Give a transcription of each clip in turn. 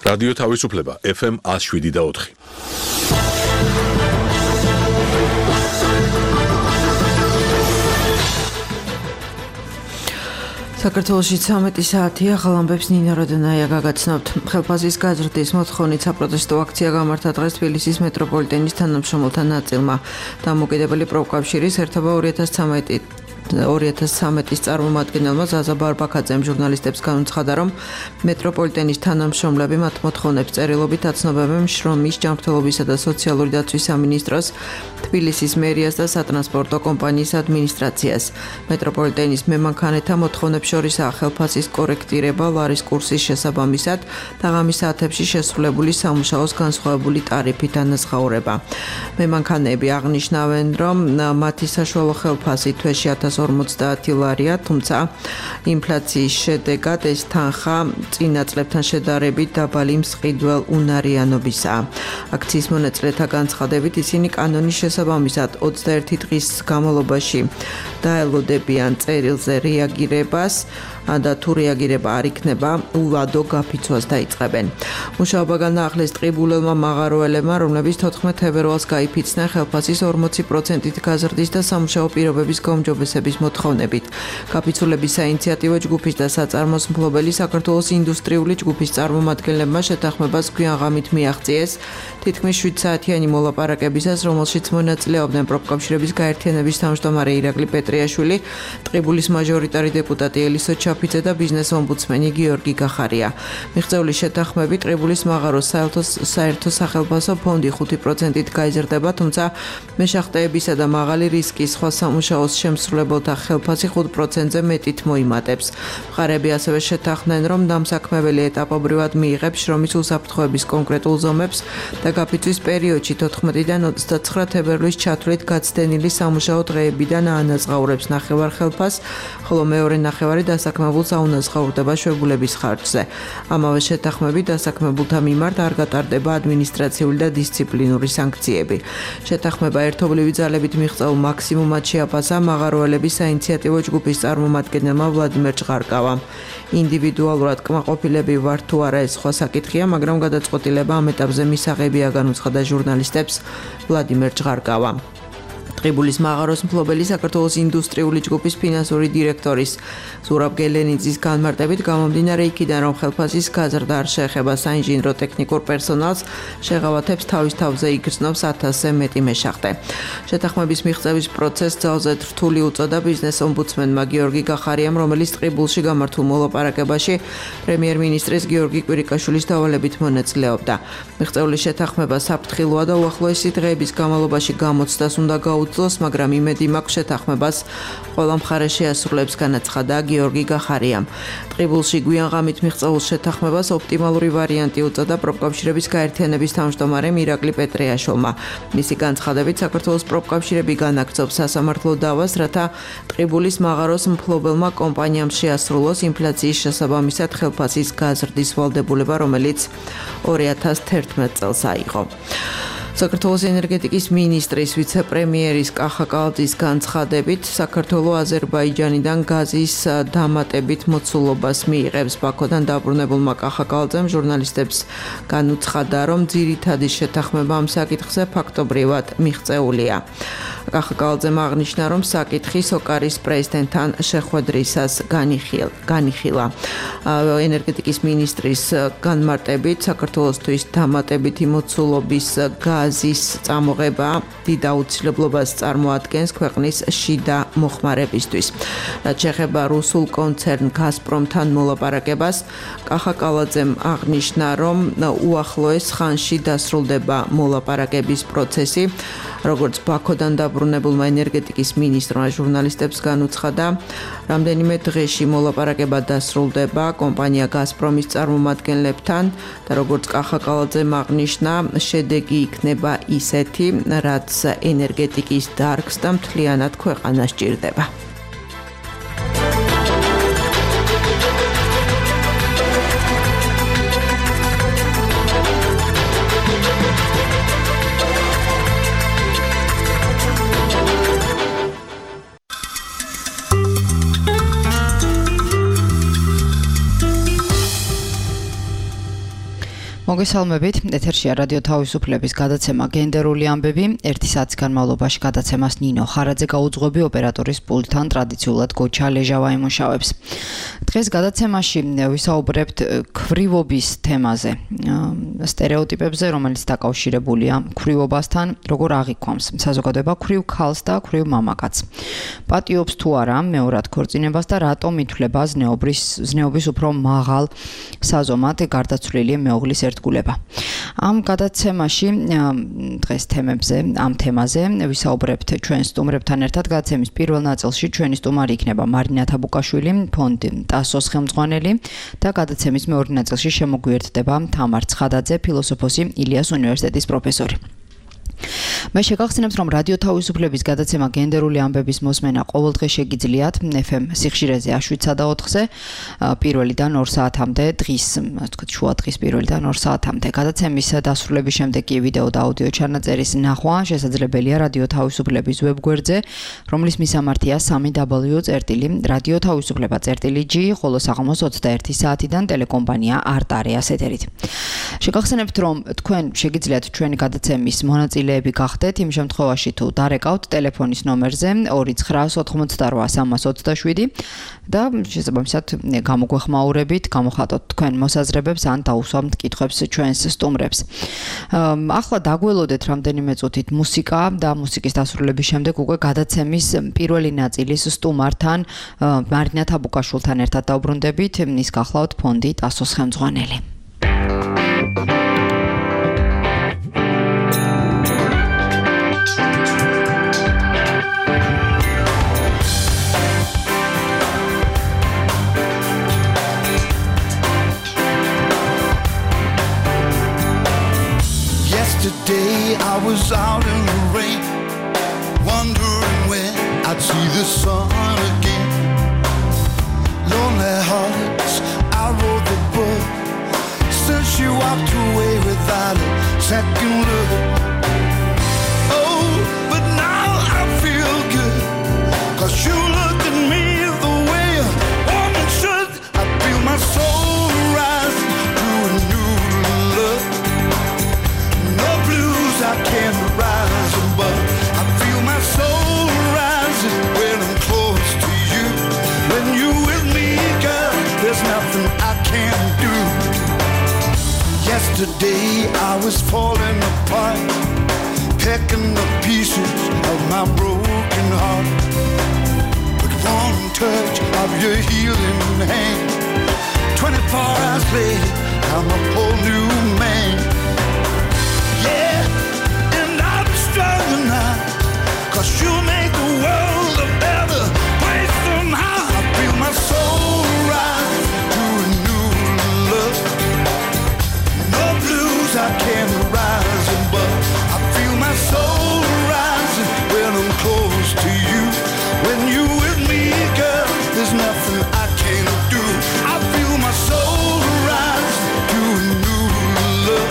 რადიო თავისუფლება FM 107.4. საქართველოში 13 საათია, ხალხებს ნინა როდონაია გაგაცნობთ. ხელფასის გაზრდის მოთხოვნით საპროტესტო აქცია გამართა დღეს თბილისის მეტროპოლიტენის თანამშრომელთა ნაწილმა. დამოუკიდებელი პროფკავშირის ერთობა 2013-ის წარმომადგენელმა ზაზა ბარბაქაძემ ჟურნალისტებს განუცხადა, რომ მეტროპოლიტენის თანამშრომლები მათ მოთხოვნებს წერილობით აცნობებენ შრომის, ჯანმრთელობისა და სოციალური დაცვის სამინისტროს, თბილისის მერიას და სატრანსპორტო კომპანიის ადმინისტრაციას. მეტროპოლიტენის მემანქანეთა მოთხოვნებს შორისაა ხელფასის კორექტირება ლარის კურსის შესაბამისად და ღამის საათებში შესრულებული სამუშაოს განსხვავებული ტარიფით ანაზღაურება. მემანქანეები აღნიშნავენ, რომ მათი საშუალო ხელფასი თვეში 1050 ლარია, თუმცა ინფლაციის შედეგად ეს თანხა წინა წლებთან შედარებით დაბალი მსყიდველ უნარიანობისაა. აქციის მონაწილეთა განცხადებით ისინი კანონის შესაბამისად 21 დღის განმავლობაში დაელოდებიან წერილზე რეაგირებას და თუ რეაგირება არ იქნება, ულადო გაფიცვას დაიწყებენ. მუშაობა განაახლეს ტყიბულელმა მაღაროელებმა, რომლებიც 14 თებერვალს გაიფიცნენ ხელფასის 40%-ით გაზრდის და სამუშაო პირობების გაუმჯობესების მოთხოვნებით. გაფიცულების საინიციატივო ჯგუფის და საწარმოს მფლობელი საქართველოს ინდუსტრიული ჯგუფის წარმომადგენლებმა შეთანხმებას გვიანღამით მიაღწიეს თითქმის 7 საათიანი მოლაპარაკებისას, რომელშიც მონაწილეობდნენ პროფკავშირების გაერთიანების თავმჯდომარე ირაკლი პეტრიაშვილი, ტყიბულის მაჟორიტარი დეპუტატი ელისო ჩაფიძე და ბიზნეს ომბუდსმენი გიორგი გახარია. მიღწეული შეთანხმებით ტყიბულის მაღაროს საერთო სახელფასო ფონდი 5%-ით გაიზრდება, თუმცა მეშახტეებისა და მაღალი რისკის სხვა სამუშაოს შემსრულებელთა ხელფასი 5%-ზე მეტით მოიმატებს. მხარეები ასევე შეთანხმდნენ, რომ დამსაქმებელი ეტაპობრივად მიიღებს შრომის უსაფრთხოების კონკრეტულ ზომებს და გაფიცვის პერიოდში 14-დან 29 თებერვლის ჩათვლით გაცდენილი სამუშაო დღეებიდან აანაზღაურებს ნახევარ ხელფასს, ხოლო მეორე ნახევარი დასაქმებულს აუნაზღაურდება შვებულების ხარჯზე. ამავე შეთანხმებით დასაქმებულთა მიმართ არ გატარდება ადმინისტრაციული და დისციპლინური სანქციები. შეთანხმება ერთობლივი ძალებით მიღწეულ მაქსიმუმად შეაფასა მაღაროელების საინიციატივო ჯგუფის წარმომადგენელმა ვლადიმერ ჭღარკავამ. ინდივიდუალურად კმაყოფილები ვართ თუ არა ეს სხვა საკითხია, მაგრამ გადაწყვეტილება ამ ეტაპზე მისაღებია, განუცხადა ჟურნალისტებს ვლადიმერ ჭღარკავამ. ტყიბულის მაღაროს მფლობელი საქართველოს ინდუსტრიული ჯგუფის ფინანსური დირექტორის ზურაბ გელენიძის განმარტებით გამომდინარე იქიდან, რომ ხელფასის გაზრდა არ შეეხება საინჟინრო ტექნიკურ პერსონალს, შეღავათებს თავის თავზე იგრძნობს 1000-ზე მეტი მეშახტე. შეთანხმების მიღწევის პროცესს ძალზე რთული უწოდა ბიზნეს ომბუდსმენმა გიორგი გახარიამ, რომელიც ტყიბულში გამართულ მოლაპარაკებაში პრემიერ-მინისტრის გიორგი კვირიკაშვილის დავალებით მონაწილეობდა. მიღწეული შეთანხმება საფრთხილოა და უახლოესი დღეების განმავლობაში გამოცდას უნდა გაუძლოს, მაგრამ იმედი მაქვს შეთანხმებას ყველა მხარე შეასრულებს, განაცხადა გიორგი გახარიამ. ტყიბულში გვიანღამით მიღწეულ შეთანხმებას ოპტიმალური ვარიანტი უწოდა პროფკავშირების გაერთიანების თავმჯდომარემ ირაკლი პეტრიაშვილმა. მისი განცხადებით, საქართველოს პროფკავშირები განაგრძობს სასამართლო დავას, რათა ტყიბულის მაღაროს მფლობელმა კომპანიამ შეასრულოს ინფლაციის შესაბამისად ხელფასის გაზრდის ვალდებულება, რომელიც 2011 წელს აიღო. საქართველოს ენერგეტიკის მინისტრის ვიცე-პრემიერის კახა კალაძის განცხადებით, საქართველო აზერბაიჯანიდან გაზის დამატებით მოცულობას მიიღებს. ბაქოდან დაბრუნებულმა კახა კალაძემ ჟურნალისტებს განუცხადა, რომ ძირითადი შეთანხმება ამ საკითხზე ფაქტობრივად მიღწეულია. კახა კალაძემ აღნიშნა, რომ საკითხი სოკარის პრეზიდენტთან შეხვედრისას განიხილა. ენერგეტიკის მინისტრის განმარტებით, საქართველოსთვის დამატებითი მოცულობის გაზის წამოღება დიდ აუცილებლობას წარმოადგენს ქვეყნის შიდა მოხმარებისთვის. რაც შეეხება რუსულ კონცერნ გაზპრომთან მოლაპარაკებას, კახა კალაძემ აღნიშნა, რომ უახლოეს ხანში დასრულდება მოლაპარაკების პროცესი. როგორც ბაქოდან დაბრუნებულმა ენერგეტიკის მინისტრმა ჟურნალისტებს განუცხადა, რამდენიმე დღეში მოლაპარაკება დასრულდება კომპანია გაზპრომის წარმომადგენლებთან და როგორც კახა კალაძემ აღნიშნა, შედეგი იქნება ისეთი, რაც ენერგეტიკის დარგს და მთლიანად ქვეყანას სჭირდება. მოგესალმებით, ეთერშია რადიო თავისუფლების გადაცემა გენდერული ამბები. 1 საათის განმავლობაში გადაცემას ნინო ხარაძე გაუძღვები, ოპერატორის პულტთან ტრადიციულად გოჩა ლეჟავა იმუშავებს. დღეს გადაცემაში ვისაუბრებთ ქვრივობის თემაზე, სტერეოტიპებზე, რომელიც დაკავშირებულია ქვრივობასთან, როგორ აღიქვამს საზოგადოება ქვრივ ქალს და ქვრივ მამაკაცს. პატიობს თუ არა მეორად ქორწინებას და რატომ ითვლება ზნეობის უფრო მაღალ საზომად გარდაცვლილი მეუღლის ერთგულება. Am გადაცემაში დღეს ამ თემაზე ვისაუბრებთ ჩვენ სტუმრებთან ერთად. გადაცემის პირველ ნაწილში ჩვენი სტუმარი იქნება მარინა თაბუკაშვილი, ფონდი ტასოს ხელმძღვანელი და გადაცემის მეორე ნაწილში შემოგვიერთდება თამარ ცხადაძე, ფილოსოფოსი, ილიას უნივერსიტეტის პროფესორი. მე შეგახსენებთ, რომ რადიო თავისუფლების გადაცემა გენდერული ამბების მოსმენა ყოველდღე შეგიძლიათ FM სიხშირეზე 7-4-ზე პირველიდან 2 საათამდე დღის, ასე ვთქვათ, შუა დღის პირველიდან 2 საათამდე. გადაცემის დასრულების შემდეგ კი ვიდეო და აუდიო ჩანაწერის ნახვა შესაძლებელია რადიო თავისუფლების ვებგვერდზე, რომლის მისამართია www.radiotavisufleba.g, ხოლო საღამოს 21 საათიდან ტელეკომპანია არტ-არეას ეთერით. შეგახსენებთ, რომ თქვენ შეგიძლიათ ჩვენი გადაცემის მონაწილეები გახდეთ იმ შემთხვევაში თუ დარეკავთ ტელეფონის ნომერზე 2998327 და შესაბამისად გამოგვეხმაურებით, გამოხატოთ თქვენ მოსაზრებებს ან დაუსვამთ კითხვებს ჩვენს სტუმრებს. ახლა დაგველოდეთ რამდენიმე წუთით მუსიკა და მუსიკის დასრულების შემდეგ უკვე გადაცემის პირველი ნაწილის სტუმართან მარინა თაბუკაშვილთან ერთად დავბრუნდებით. ის გახლავთ ფონდი ტასოს ხელმძღვანელი. Yesterday I was out in the rain, wondering when I'd see the sun again. Lonely hearts, I wrote the book, since she walked away without a second look. Oh, but now I feel good, 'cause you looked at me the way a woman should. I feel my soul rise to a new look. No blues I can't rise above. I feel my soul rising when I'm close to you. When you're with me, girl, there's nothing I can't do. Yesterday I was falling apart, picking the pieces of my broken heart. But one touch of your healing hand, 24 hours later, I'm a whole new man. Yeah, and I'm stronger now, 'cause you make the world a better place somehow. I feel my soul rise to a new look. No blues I can't rise above. I feel my soul rising when I'm close to you. When you're with me, girl, there's nothing I can't do. I feel my soul rise to a new look.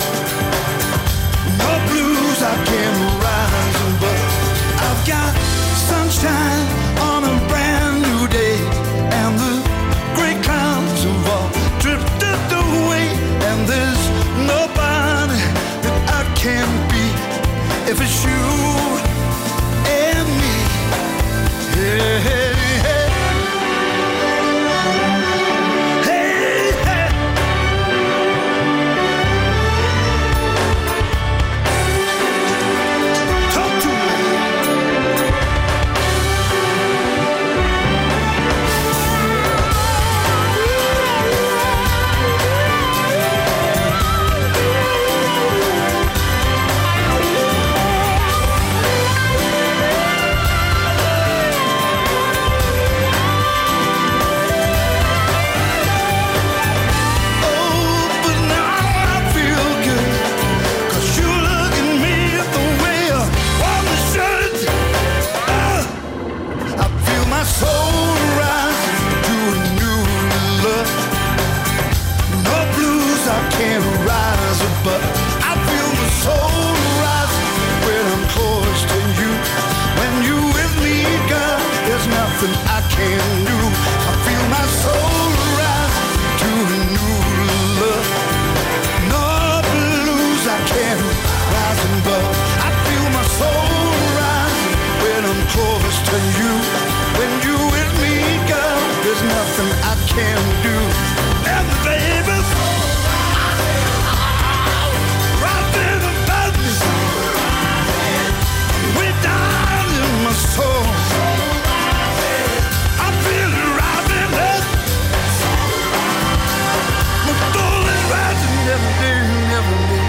close to you. When you with me, girl, there's nothing I can do. And baby, right there about me, way down in my soul. I feel it rising up. My soul is rising every day, every day.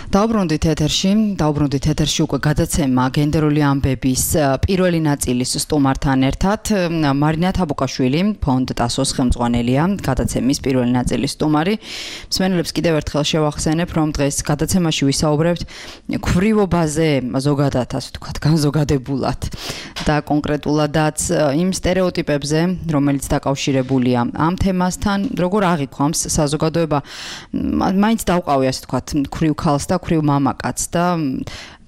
დაუბრუნდით ეთერში უკვე გადაცემა გენდერული ამბების პირველი ნაწილის სტუმართან ერთად მარინა თაბუკაშვილი ფონდ ტასოს ხელმძღვანელია გადაცემის პირველი ნაწილის სტუმარი მსმენელებს კიდევ ერთხელ შევახსენებ რომ დღეს გადაცემაში ვისაუბრებთ ქვრივობაზე ზოგადად ასე ვთქვათ განზოგადებულად და კონკრეტულადაც იმ სტერეოტიპებზე რომელიც დაკავშირებულია ამ თემასთან როგორ აღიქვამს საზოგადოება მაინც დავყავი ასე ვთქვათ ქვრივ ქალს და ქვრივ მამაკაცს და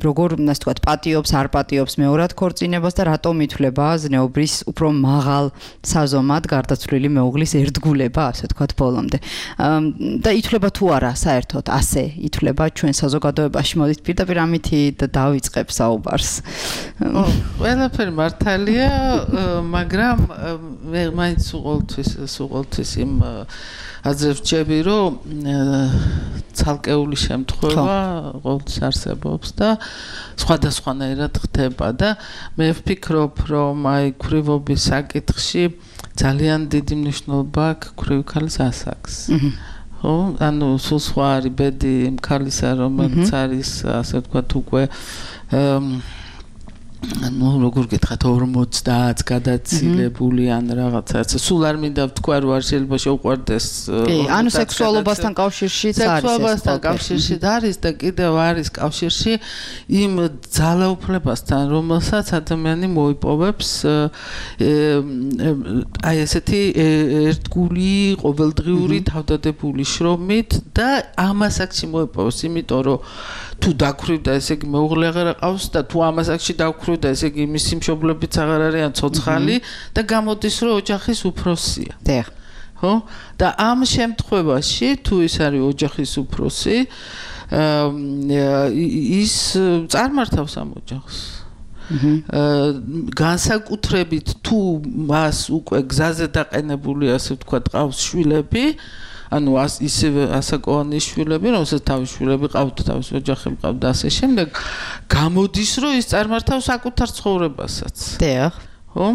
როგორ ასე ვთქვათ პატიობს არ პატიობს მეორად ქორწინებას და რატომ ითვლება ზნეობრის უფრო მაღალ საზომად გარდაცვლილი მეუღლის ერთგულება ასე ვთქვათ ბოლომდე და ითვლება თუ არა საერთოდ ასე ითვლება ჩვენ საზოგადოებაში მოდით პირდაპირ ამითი დავიწყებ საუბარს ყველაფერი მართალია მაგრამ მე მაინც უყოლთვის იმ აზრებს ვჭები რომ ცალკეული შემთხვევა ყოველთვის არსებობს და სხვადასხვანაირად ხდება და მე ვფიქრობ რომ აი ქვრივობის საკითხში ძალიან დიდი მნიშვნელობა აქვს ქვრივი ქალის ასაკს ხო ანუ სულ სხვა არის ბედი იმ ქალისა რომელიც არის ასე ვთქვათ უკვე ну როგორ გითხრათ 50 გადაცილებული ან რაღაცა სულ არ მინდა ვთქვა რომ არ შეიძლება შეუყვარდეს კი ანუ სექსუალობასთან კავშირშიც არის სექსუალობასთან კავშირში არის და კიდევ არის კავშირში იმ ძალაუფლებასთან რომელსაც ადამიანი მოიპოვებს აი ესეთი ერთგული ყოველდღიური თავდადებული შრომით და ამას აქში მოიპოვებს იმიტომ რომ თუ დაქვრივდა ესე იგი მეუღლე აღარ ყავს და თუ ამას აქში დაქვრივდა ესე იგი მისი მშობლებიც აღარ არიან ცოცხალი და გამოდის რომ ოჯახის უფროსია. დიახ. ხო? და ამ შემთხვევაში თუ ის არის ოჯახის უფროსი ის წარმართავს ამ ოჯახს. განსაკუთრებით თუ მას უკვე გზაზე დაყენებული ასე ვთქვათ ყავს შვილები ანუ ისევე ასაკოვანი შვილები, რომელსაც თავის შვილები ყავთ, თავის ოჯახი ყავთ და ასე შემდეგ, გამოდის, რომ ის წარმართავს საკუთარ ცხოვრებასაც. დიახ. ხო?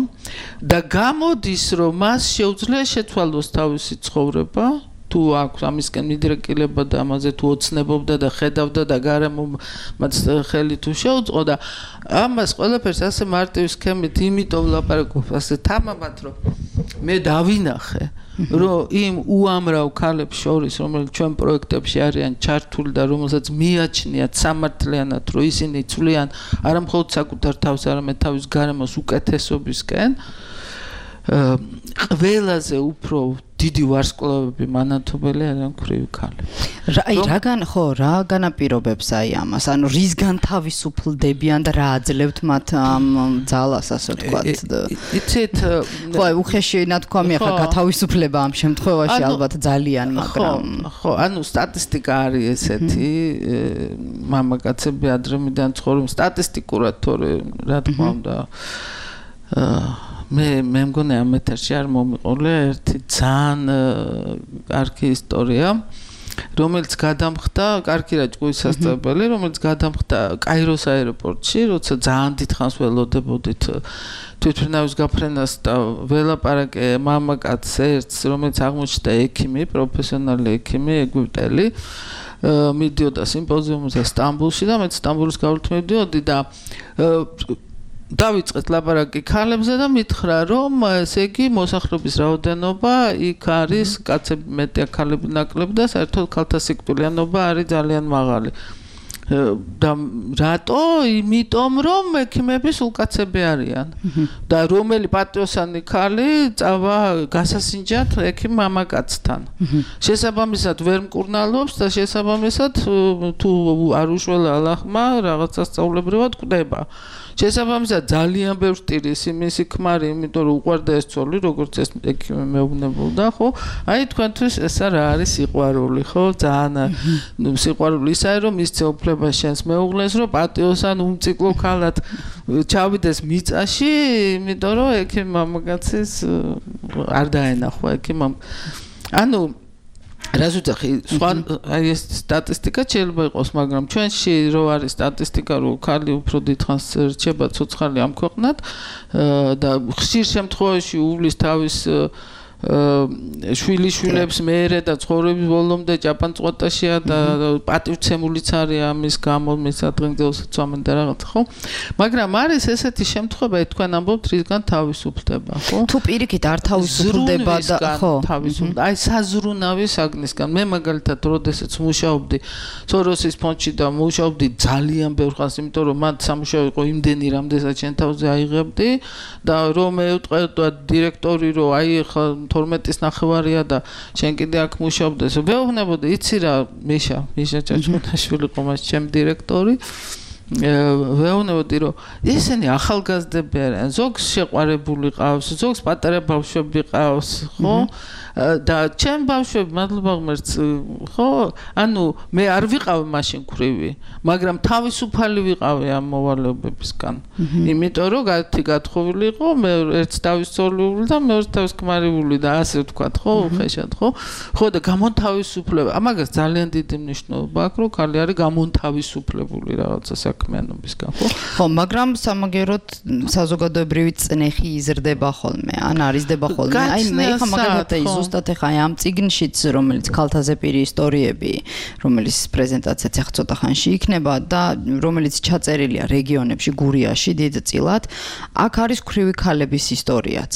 და გამოდის, რომ მას შეუძლია შეცვალოს თავისი ცხოვრება, თუ აქვს ამისკენ მიდრეკილება და ამაზე თუ ოცნებობდა და ხედავდა და გარემომაც ხელი თუ შეუწყო და ამას ყველაფერს ასე მარტივი სქემით იმიტომ ლაპარაკობ ასე თამამად რომ მე დავინახე რომ იმ უამრავ ქალებს შორის რომელიც ჩვენ პროექტებში არიან ჩართული და რომელსაც მიაჩნიათ სამართლიანად რომ ისინი ცვლიან არა მხოლოდ საკუთარ თავს არამედ თავის გარემოს უკეთესობისკენ ყველაზე უფრო დიდი ვარსკვლავები მანათობელი არიან ქვრივი ქალები. რა განაპირობებს აი ამას? ანუ რისგან თავისუფლდებიან და რა აძლევთ მათ ამ ძალას, ასე ვთქვათ? იცით, ხო, უხეში ნათქვამი ახლა გათავისუფლება ამ შემთხვევაში ალბათ ძალიან, მაგრამ ხო, ანუ სტატისტიკა არის ესეთი, მამაკაცები ადრემდან ცხოვრობენ სტატისტიკურად თორე რა თქმა უნდა მე მგონი ამ ეთერში არ მომიყოლე ერთი ძალიან კარგი ისტორია რომელიც გადამხდა კარგი რა ჭკუის სასწავლებელი რომელიც გადამხდა კაიროს აეროპორტში როცა ძალიან დიდხანს ველოდებოდით თვითმფრინავის გაფრენას და ველაპარაკე მამაკაცს ერთს რომელიც აღმოჩნდა ექიმი პროფესიონალი ექიმი ეგვიპტელი მიდიოდა სიმპოზიუმზე სტამბულში და მეც სტამბულის გავლით მივდიოდი და დავიწყეთ ლაპარაკი ქალებზე და მითხრა რომ ესე იგი მოსახლეობის რაოდენობა იქ არის კაცები მეტია ქალები ნაკლები და საერთოდ ქალთა სიკვდილიანობა არის ძალიან მაღალი და რატო? იმიტომ რომ ექიმები სულ კაცები არიან. და რომელი პატიოსანი ქალი წავა გასასინჯად ექიმ მამაკაცთან. შესაბამისად ვერ მკურნალობს და შესაბამისად თუ არ უშველა ალახმა რაღაცა სწავლებრივად კვდება. შესაბამისად ძალიან ბევრ სტილის იმისი ქმარი, იმიტომ რომ უყვარდა ეს ცოლი, როგორც ეს ექიმი მეუბნებოდა, ხო? აი თქვენთვის ეს რა არის სიყვარული, ხო? ძალიან სიყვარული ისაა, რომ მისცე უფლება შენს მეუღლეს, რომ პატიოსან უმციკლო ქალად ჩავიდეს მიწაში, იმიტომ რომ ექიმ მამაკაცის არ დაენახვა ექიმ ანუ რას ვუძახი, სხვა აი ეს სტატისტიკა შეიძლება იყოს, მაგრამ ჩვენში რო არის სტატისტიკა, რომ ქალი უფრო დიდხანს რჩება ცოცხალი ამ ქვეყნად და ხშირ შემთხვევაში უვლის თავის შვილიშვილებს მეერე და ცხოვრების ბოლომდე ჭაპანწყვეტაშია და პატივცემულიც არის ამის გამო მის ადგილზეც ვამენ და რაღაც ხო მაგრამ არის ესეთი შემთხვევა თქვენ ამბობთ რისგან თავისუფლდება ხო თუ პირიქით არ თავისუფლდება და ხო თავისუფლდება აი საზრუნავი საგნისგან მე მაგალითად როდესაც მუშაობდი სოროსის ფონდში და მუშაობდი ძალიან ბევრ ხანს იმიტომ რომ მან სამუშაო იყო იმდენი რამდენსაც შენ თავზე აიღებდი და რომ მეუტყევდა დირექტორი რომ აი ხა 12-ის ნახევარია და შენ კიდე აქ მუშაობდეს. ვეუბნებოდი, იცი რა, მიშა ჭაჭმუნაშვილი ყომას ჩემ დირექტორი. ვეუბნებოდი, რომ ესენი ახალგაზრდები არიან, ზოგს შეყვარებული ყავს, ზოგს პატარა ბავშვები ყავს, ხო? და ჩემ ბავშვები, მადლობა ღმერთს, ხო? ანუ მე არ ვიყავი მაშინ ქრივი, მაგრამ თავისუფალი ვიყავი ამ მოვალეობებისგან. იმიტომ რომ გათხოვილი იყო, მე ერთს თავისუფლებული და მეორეს თავისკმარიული და ასე ვთქვათ, ხო, ხეშად, ხო? ხო და გამონთავისუფლება. ამაგას ძალიან დიდი მნიშვნელობა აქვს, რომ ქალი არის გამონთავისუფლებული რაღაცა საქმიანობისგან, ხო? ხო, მაგრამ სამაგეროდ საზოგადოებრივი წნეხი იზრდება ხოლმე, ან არიზდება ხოლმე. აი მე ხა მაგალითად ზუსტად ხა ამ წიგნშიც რომელიც ქალთაზე პირი ისტორიები რომელიც პრეზენტაციაც ახლა ცოტა ხანში იქნება და რომელიც ჩაწერილია რეგიონებში გურიაში დიდწილად აქ არის ქრივი ქალების ისტორიაც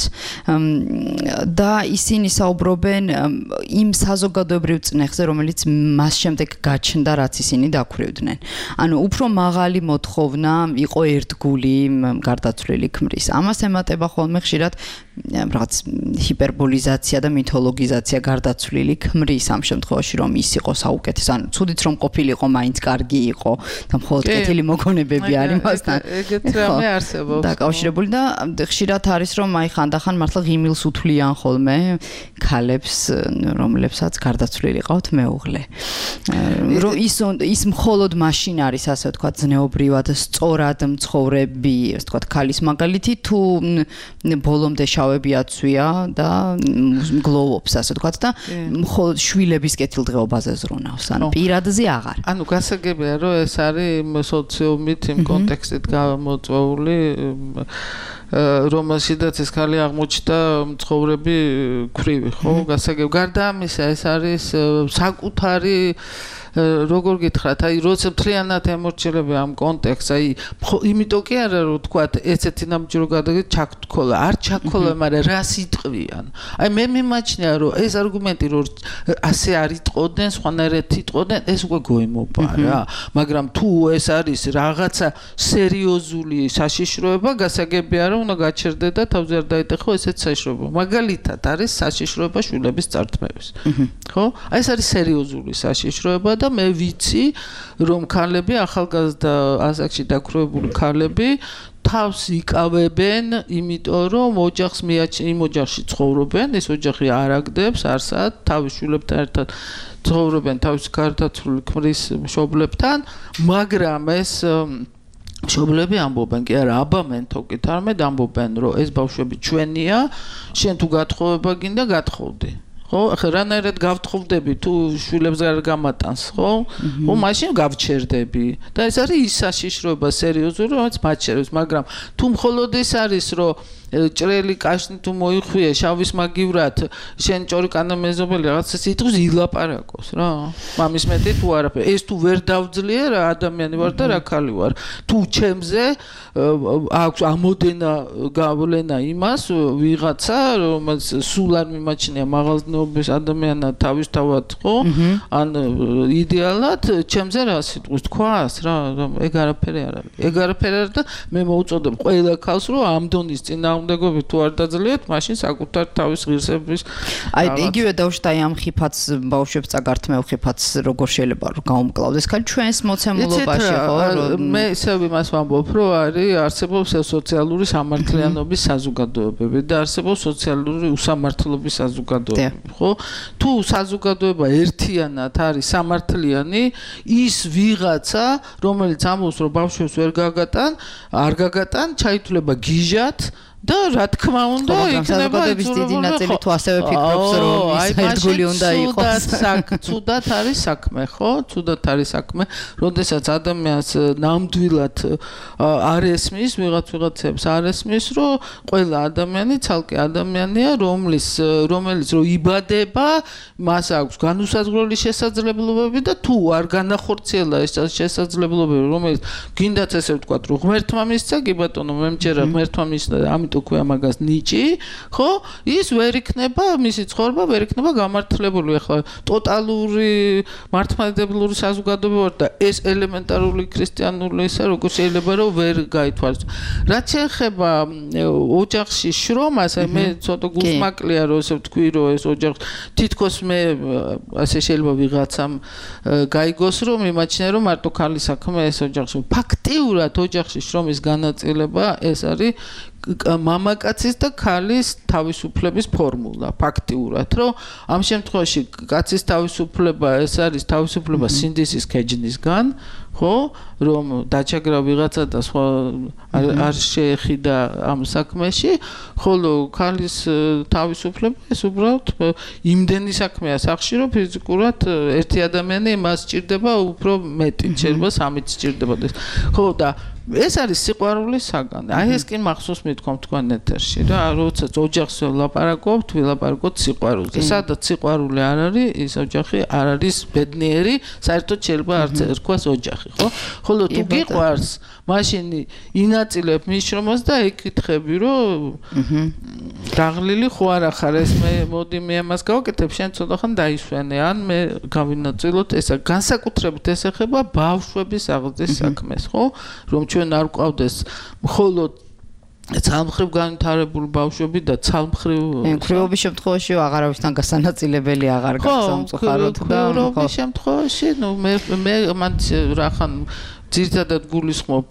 და ისინი საუბრობენ იმ საზოგადოებრივ წნეხზე რომელიც მას შემდეგ გაჩნდა რაც ისინი დაქვრივდნენ ანუ უფრო მაღალი მოთხოვნა იყო ერთგული გარდაცვლილი ქმრის ამას ემატება ხოლმე ხშირად რაღაც ჰიპერბოლიზაცია და მითოლოგიზაცია გარდაცვლილი ქმრის ამ შემთხვევაში რომ ის იყო საუკეთესო ანუ ცუდით რომ ყოფილიყო მაინც კარგი იყო და მხოლოდ კეთილი მოგონებები არის მასთან ეგეთ რამე არსებობს დაკავშირებული და ხშირად არის რომ აი ხანდახან მართლა ღიმილს უთვლიან ხოლმე ქალებს რომლებსაც გარდაცვლილი ყავთ მეუღლე რომ ის მხოლოდ მაშინ არის ასე ვთქვათ ზნეობრივად სწორად მცხოვრები ასე ვთქვათ ქალის მაგალითი თუ ბოლომდე შავები აცვია და გლოვობს ასე ვთქვათ და მხოლოდ შვილების კეთილდღეობაზე ზრუნავს ანუ პირადზე აღარ ანუ გასაგებია რომ ეს არის სოციუმით იმ კონტექსტით გამოწვეული რომელშიც ეს ქალი აღმოჩნდა მცხოვრები ქრივი ხო გასაგებია გარდა ამისა ეს არის საკუთარი როგორ გითხრათ აი როცა მთლიანად ემორჩილები ამ კონტექსტს აი იმიტომ კი არა რომ თქვათ ესეთი ნამჯრო გადაგეთ ჩაქთქოლა არ ჩაქოლა მაგრამ რას იტყვიან აი მე მიმაჩნია რომ ეს არგუმენტი რომ ასე არ იტყოდნენ სხვანაირად იტყოდნენ ეს უკვე გოიმობა რა მაგრამ თუ ეს არის რაღაცა სერიოზული საშიშროება გასაგებია რომ უნდა გაჩერდე და თავზე არ დაიტეხო ესეთ საშიშროება მაგალითად არის საშიშროება შვილების წართმევის ხო აი ეს არის სერიოზული საშიშროება და მე ვიცი რომ ქალები ახალგაზრდა ასაკში დაქვრივებული ქალები თავს იკავებენ იმიტომ რომ ოჯახს იმ ოჯახში ცხოვრობენ ეს ოჯახი არ აგდებს არსად თავის შვილებთან ერთად ცხოვრობენ თავის გარდაცვლილი ქმრის მშობლებთან მაგრამ ეს მშობლები ამბობენ კი არა აბა მენთოკით არამედ ამბობენ რომ ეს ბავშვები ჩვენია შენ თუ გათხოვება გინდა გათხოვდი ხო ახლა რანაირად გავთხოვდები თუ შვილებს არ გამატანს ხო ხო მაშინ გავჩერდები და ეს არის ის საშიშროება სერიოზული რომელიც მათ შერევს მაგრამ თუ მხოლოდ ის არის რომ ჭრელი კაშნი თუ მოიხვია შავის მაგივრად შენ ჭორიკანა მეზობელი რაღაცა სიტყვის ილაპარაკოს რა მამის მეტი თუ არაფერი ეს თუ ვერ დავძლია რა ადამიანი ვარ და რა ქალი ვარ თუ ჩემზე აქვს ამოდენა გავლენა იმას ვიღაცა რომელიც სულ არ მიმაჩნია მაღალზნეობის ადამიანად თავისთავად ხო ან იდეალად ჩემზე რა სიტყვის თქვას რა ეგ არაფერი არ არის ეგ არაფერი არ და მე მოუწოდებ ყველა ქალს რომ ამ დონის წინააღმდეგობით თუ არ დაძლიათ მაშინ საკუთარ თავის ღირსების აი იგივე დავშტა ამ ხიფათს ბავშვებს წაგართმევ ხიფათს როგორ შეიძლება რომ გაუმკლავდეს ხალ ჩვენს მოცემულობაში ხო მე ისევ იმას ვამბობ რომ არსებობს სოციალური სამართლიანობის საზოგადოებები და არსებობს სოციალური უსამართლობის საზოგადოებები ხო თუ საზოგადოება ერთიანად არის სამართლიანი ის ვიღაცა რომელიც ამბობს რომ ბავშვებს ვერ გაგატან არ გაგატან ჩაითვლება გიჟად და რა თქმა უნდა იქნება დიდი ნაწილი თუ ასევე ფიქრობს რომ ის ერთგული უნდა იყოს ცუდად არის საქმე ხო ცუდად არის საქმე როდესაც ადამიანს ნამდვილად არ ესმის ვიღაცებს არ ესმის რომ ყველა ადამიანი ცალკე ადამიანია რომელიც რომ იბადება მას აქვს განუსაზღვრელი შესაძლებლობები და თუ არ განახორციელა ეს შესაძლებლობები რომელიც გინდაც ესე ვთქვათ რომ ღმერთმა მისცა კი ბატონო მე მჯერა ღმერთმა მისცა ამიტომ ქვია მაგას ნიჭი ხო ის ვერ იქნება მისი ცხოვრება ვერ იქნება გამართლებული ახლა ტოტალური მართლმადიდებლური საზოგადოება ვარ და ეს ელემენტარული ქრისტიანული ისე როგორ შეიძლება რომ ვერ გაითვალისწინოს რაც შეეხება ოჯახში შრომას აი მე ცოტა გულსმაკლია რომ ესე ვთქვი რომ ეს ოჯახი თითქოს მე ასე შეიძლება ვიღაცამ გაიგოს რომ იმაჩნია რომ მარტო ქალის საქმე ეს ოჯახში ფაქტიურად ოჯახში შრომის განაწილება ეს არის მამაკაცის და ქალის თავისუფლების ფორმულა ფაქტიურად რომ ამ შემთხვევაში კაცის თავისუფლება ეს არის თავისუფლება სინდისის ქეჯნისგან ხო რომ დაჩაგრა ვიღაცა და სხვა არ შეეხიდა ამ საქმეში ხოლო ქალის თავისუფლება ეს უბრალოდ იმდენი საქმეა სახში რომ ფიზიკურად ერთი ადამიანი მას სჭირდება უფრო მეტი შეიძლება სამიც სჭირდებოდეს ხო და ეს არის სიყვარულის საგანი. აი ეს კი მახსოვს მithkom თქვენ ეთერში რა, როდესაც ოჯახს ვლაპარაკობთ, ვილაპარაკოთ სიყვარულზე. სადაც სიყვარული არ არის, ის ოჯახი არ არის ბედნიერი, საერთოდ შეიძლება არც ერქვას ოჯახი, ხო? ხოლო თუ გიყვარს, მაშინ ინაწილებ მის შრომას და ეკითხები, რომ დაღლილი ხო არ ახარ ეს მე მოდი მე ამას გავაკეთებ, შენ ცოტა ხან დაისვენე, ან მე გავინაწილოთ ესა. განსაკუთრებით ეს ეხება ბავშვების აღზრდის საქმეს, ხო? რომ ჩვენ არ გვყავდეს მხოლოდ ცალმხრივ განვითარებული ბავშვები და ცალმხრივ ქვრივობის შემთხვევაში აღარავისთან გასანაწილებელი აღარ გასამწუხაროდ და ქვრივობის შემთხვევაში ნუ მე მან რახან ძირთადად გულისხმობ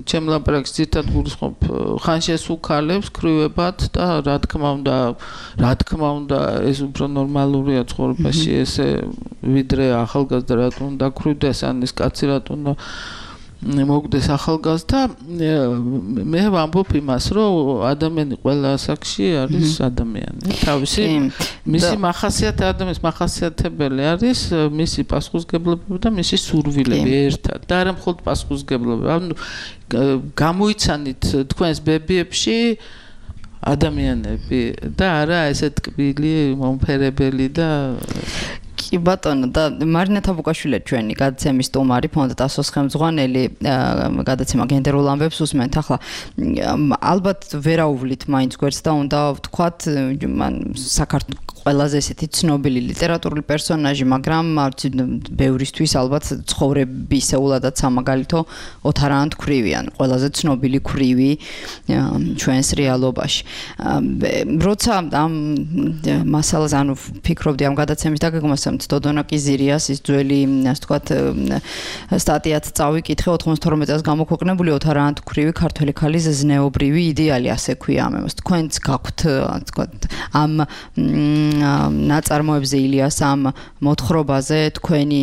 ჩემ ლაპარაკს ძირთადად გულისხმობ ხან შესუქალებს ქვრივებად და რა თქმა უნდა ეს უფრო ნორმალურია ცხოვრებაში ესე ვიდრე ახალგაზრდა რატომ უნდა ქვრივდეს ან ის კაცი რატომ უნდა მოგდეს ახალგაზრდა მე ვამბობ იმას რომ ადამიანი ყველა ასაკში არის ადამიანი თავისი მისი მახასიათებელი მახასიათებელი არის მისი პასუხისგებლობები და მისი სურვილები ერთად და არა მხოლოდ პასუხისგებლობები ანუ გამოიცანით თქვენს ბებიებში ადამიანები და არა ესე ტკბილი მომფერებელი და კი ბატონო და მარინა თაბუკაშვილი ჩვენი გადაცემის სტუმარი ფონდ ტასოს ხელმძღვანელი გადაცემა გენდერულ ამბებს უსმენთ ახლა ალბათ ვერაუვლით მაინც გვერდს და უნდა ვთქვათ მან საქართველოს ყველაზე ესეთი ცნობილი ლიტერატურული პერსონაჟი მაგრამ არც ბევრისთვის ალბათ ცხოვრებისეულადაც სამაგალითო ოთარანთ ქვრივიან ყველაზე ცნობილი ქვრივი ჩვენს რეალობაში როცა ამ მასალას ანუ ფიქრობდი ამ გადაცემის დაგეგმვას დოდონა კიზირიას ის ძველი ასე ვთქვათ სტატიაც წავიკითხე 92 წელს გამოქვეყნებული ოთარანთ ქვრივი ქართველი ქალის ზნეობრივი იდეალი ასე ქვია ამას თქვენც გაქვთ ასე ვთქვათ ამ ნაწარმოებზე ილიას ამ მოთხრობაზე თქვენი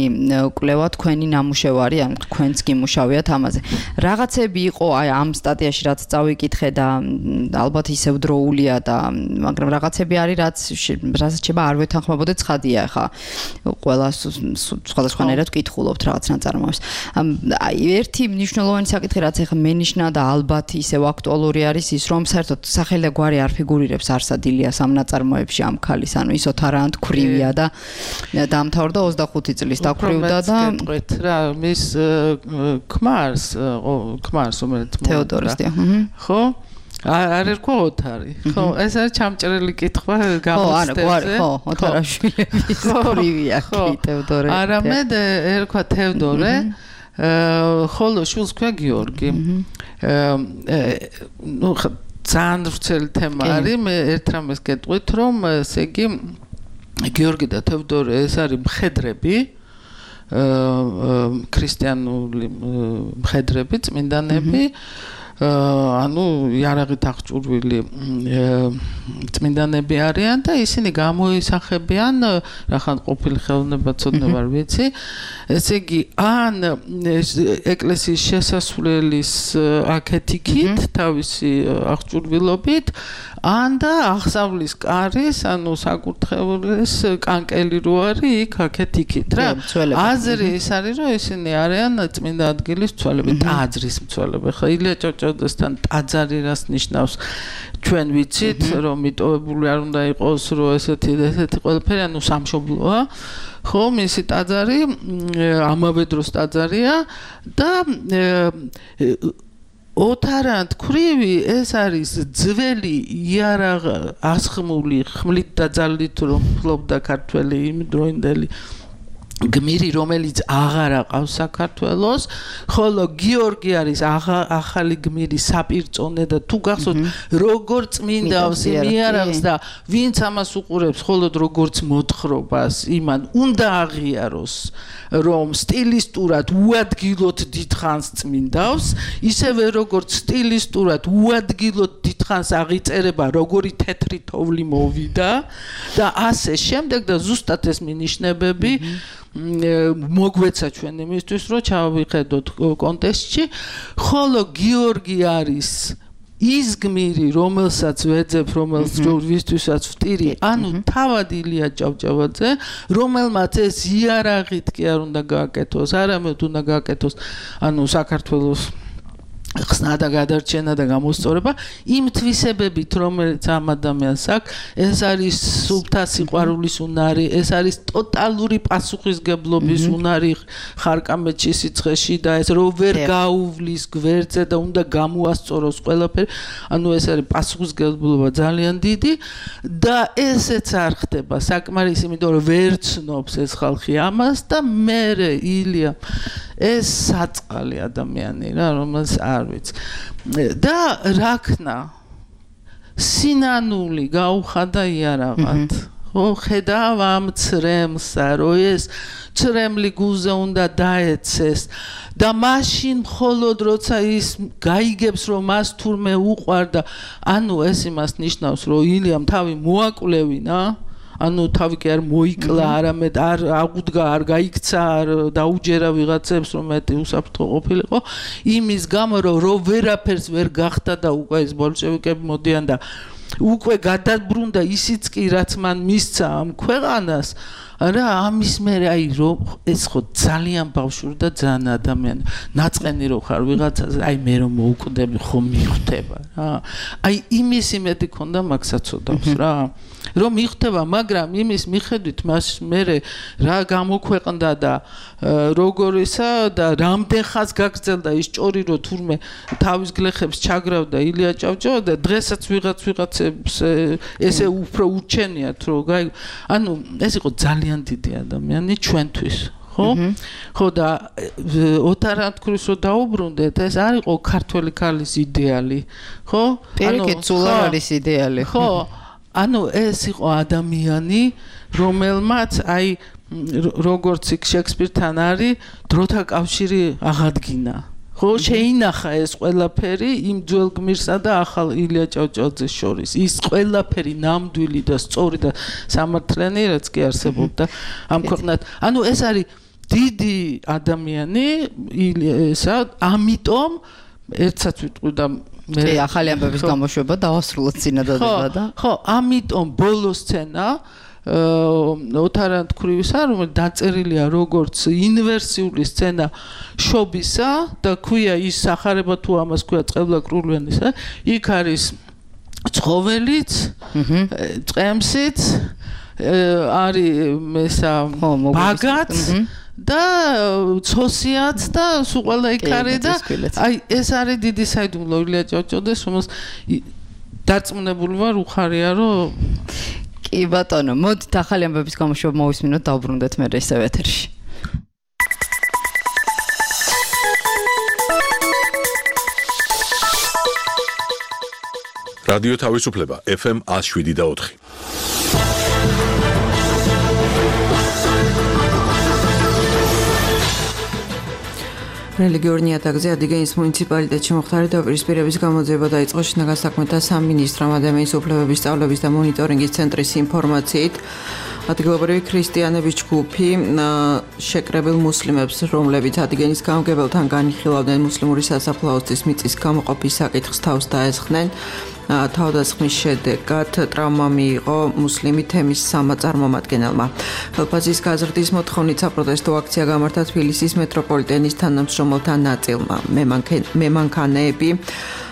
კვლევა, თქვენი ნამუშევარი, ან თქვენც გიმუშავიათ ამაზე. რაღაცები იყო აი ამ სტატიაში რაც წავიკითხე და ალბათ ისევ დროულია და მაგრამ რაღაცები არის რაც შეება არ ვეთანხმებოდეთ ცხადია ხა ყველა სხვადასხვანაირად ვკითხულობთ რაღაც ნაწარმოებს. აი ერთი მნიშვნელოვანი საკითხი რაც ეხა მენიშნა და ალბათ ისევ აქტუალური არის ის რომ საერთოდ სახელი და გვარი არ ფიგურირებს არსად ილიას ამ ნაწარმოებში ამ ქალის ანუ ის ოთარანტ ქვრივია და დაამთავრდა 25 წლის დაქვრივდა და რა მის ქმარს რომელიც თეოდოროსია ხო არ ერქვა ოთარი ხო ეს არის ჩამჭრელი კითხვა გამოსტებზე ხო ოთარაშვილების ქვრივია კი თეოდორე არამედ ერქვა თევდორე ხოლო შვილს ქვია გიორგი ნუ ძალიან ვრცელი თემა არის მე ერთ რამეს გეტყვით რომ ესე იგი გიორგი და თევდორე ეს არის მხედრები ქრისტიანული მხედრები წმინდანები ანუ იარაღით აღჭურვილი წმინდანები არიან და ისინი გამოისახებიან რახან ყოფილი ხელოვნება ცოდნა არ ვიცი ესე იგი ან ეკლესიის შესასვლელის აქეთიქით თავისი აღჭურვილობით ან და აღსავლის კარის ანუ საკურთხევლის კანკელი რო არის იქ აქეთიქით რა აზრი ის არის რომ ისინი არიან წმინდა ადგილის მცველები ტაძრის მცველები ხო ილია ჭავჭავაძესთან ტაძარი რას ნიშნავს ჩვენ ვიცით რომ მიტოვებული არ უნდა იყოს რომ ესეთი ყველაფერი ანუ სამშობლოა ხო მისი ტაძარი ამავე დროს ტაძარია და ოთარანტ ქვრივი ეს არის ძველი იარაღ ასხმული ხმლით და ძალით რომ ფლობდა ქართველი იმ დროინდელი გმირი რომელიც აღარ აყავს საქართველოს ხოლო გიორგი არის ახალი გმირი საპირწონე და თუ გახსოვთ როგორ წმინდავს იარაღს და ვინც ამას უყურებს ხოლოდ როგორც მოთხრობას იმან უნდა აღიაროს რომ სტილისტურად უადგილოდ დიდხანს წმინდავს ისევე როგორც სტილისტურად უადგილოდ დიდხანს აღიწერება როგორი თეთრი თოვლი მოვიდა და ასე შემდეგ და ზუსტად ეს მინიშნებები მოგვეცა ჩვენ იმისთვის რომ ჩავიხედოთ კონტექსტში ხოლო გიორგი არის ის გმირი რომელსაც ვეძებ რომელსთვისაც ვტირი ანუ თავად ილია ჭავჭავაძე რომელმაც ეს იარაღით კი არ უნდა გააკეთოს არამედ უნდა გააკეთოს ანუ საქართველოს ხსნა და გადარჩენა და გამოსწორება იმ თვისებებით რომელიც ამ ადამიანს აქვს ეს არის სულთა სიყვარულის უნარი ეს არის ტოტალური პასუხისგებლობის უნარი ხარკამეთში სიცხეში და ეს რო ვერ გაუვლის გვერდზე და უნდა გამოასწოროს ყველაფერი ანუ ეს არის პასუხისგებლობა ძალიან დიდი და ესეც არ ხდება საკმარისი იმიტომ რომ ვერ ცნობს ეს ხალხი ამას და მე ილია ეს საწყალი ადამიანი რა რომელს არ ვიცი და რაქნა სინანული გაუხადა იარაღად ხო ხედავ ამ ცრემლსა რომ ეს ცრემლი გულზე უნდა დაეცეს და მაშინ მხოლოდ როცა ის გაიგებს რომ მას თურმე უყვარდა ანუ ეს იმას ნიშნავს რომ ილიამ თავი მოაკვლევინა ანუ თავი კი არ მოიკლა არამედ არ აღუდგა არ გაიქცა არ დაუჯერა ვიღაცებს რომ მეტი უსაფრთხო ყოფილიყო იმის გამო რომ ვერაფერს ვერ გახდა და უკვე ეს ბოლშევიკები მოდიან და უკვე გადაბრუნდა ისიც კი რაც მან მისცა ამ ქვეყანას რა ამის მერე აი რომ ეს ხო ძალიან ბავშვური და ძალიან ადამიანი ნაწყენი რო ხარ ვიღაცაზე აი მე რომ მოუკვდები ხო მიხვდება რა აი იმის იმედი ქონდა მაგ საწოდავს რა რომ მიხვდება მაგრამ იმის მიხედვით მას მერე რა გამოქვეყნდა და როგორისა და რამდენ ხანს გაგრძელდა ის ჭორი რო თურმე თავის გლეხებს ჩაგრავდა ილია ჭავჭავა და დღესაც ვიღაცებს ესე უფრო ურჩენიათ რომ ანუ ეს იყო ძალიან დიდი ადამიანი ჩვენთვის ხო და ოთარანტ ქვის რო დაუბრუნდეთ ეს არ იყო ქართველი ქალის იდეალი ხო პირიქით სულ არის იდეალი ხო ანუ ეს იყო ადამიანი რომელმაც აი როგორც იქ შექსპირთან არის დროთა კავშირი აღადგინა ხო შეინახა ეს ყველაფერი იმ ძველ გმირსა და ახალ ილია ჭავჭავაძეს შორის ის ყველაფერი ნამდვილი და სწორი და სამართლიანი რაც კი არსებობდა ამ ქვეყნად ანუ ეს არის დიდი ადამიანი ესა ამიტომ ერთსაც ვიტყვი და მე ახალი ამბების გამოშვება დავასრულოთ წინადადება და ხო ამიტომ ბოლო სცენა ოთარანთქვრივისა რომელიც დაწერილია როგორც ინვერსიული სცენა შობისა და ქვია ის სახარება თუ ამას ქვია წყევლაკრულიანისა იქ არის ცხოველიც წემსიც არის ესა ბაგაც და ცოსიაც და სულ ყველა იქ არის და აი ეს არის დიდი საიდუმლო ილია ჭავჭავაძეს რომელს დარწმუნებული ვარ უხარია რომ კი ბატონო მოდით ახალი ამბების გამოშვება მოვისმინოთ დავბრუნდეთ მე ისევ ეთერში რადიო თავისუფლება FM 107.4 რელიგიური ნიადაგზე ადიგენის მუნიციპალიტეტში მოხდარი დაპირისპირების გამოძიება დაიწყო შინაგან საქმეთა სამინისტრომ ადამიანის უფლებების სწავლების და მონიტორინგის ცენტრის ინფორმაციით ადგილობრივი ქრისტიანების ჯგუფი შეკრებილ მუსლიმებს რომლებიც ადგენის გამგებელთან განიხილავდნენ მუსლიმური სასაფლაოსთვის მიწის გამოყოფის საკითხს თავს დაესხნენ თავდასხმის შედეგად ტრავმა მიიღო მუსლიმი თემის სამაწარმომადგენელმა. ხელფასის გაზრდის მოთხოვნით საპროტესტო აქცია გამართა თბილისის მეტროპოლიტენის თანამშრომელთა ნაწილმა. მემანქანეები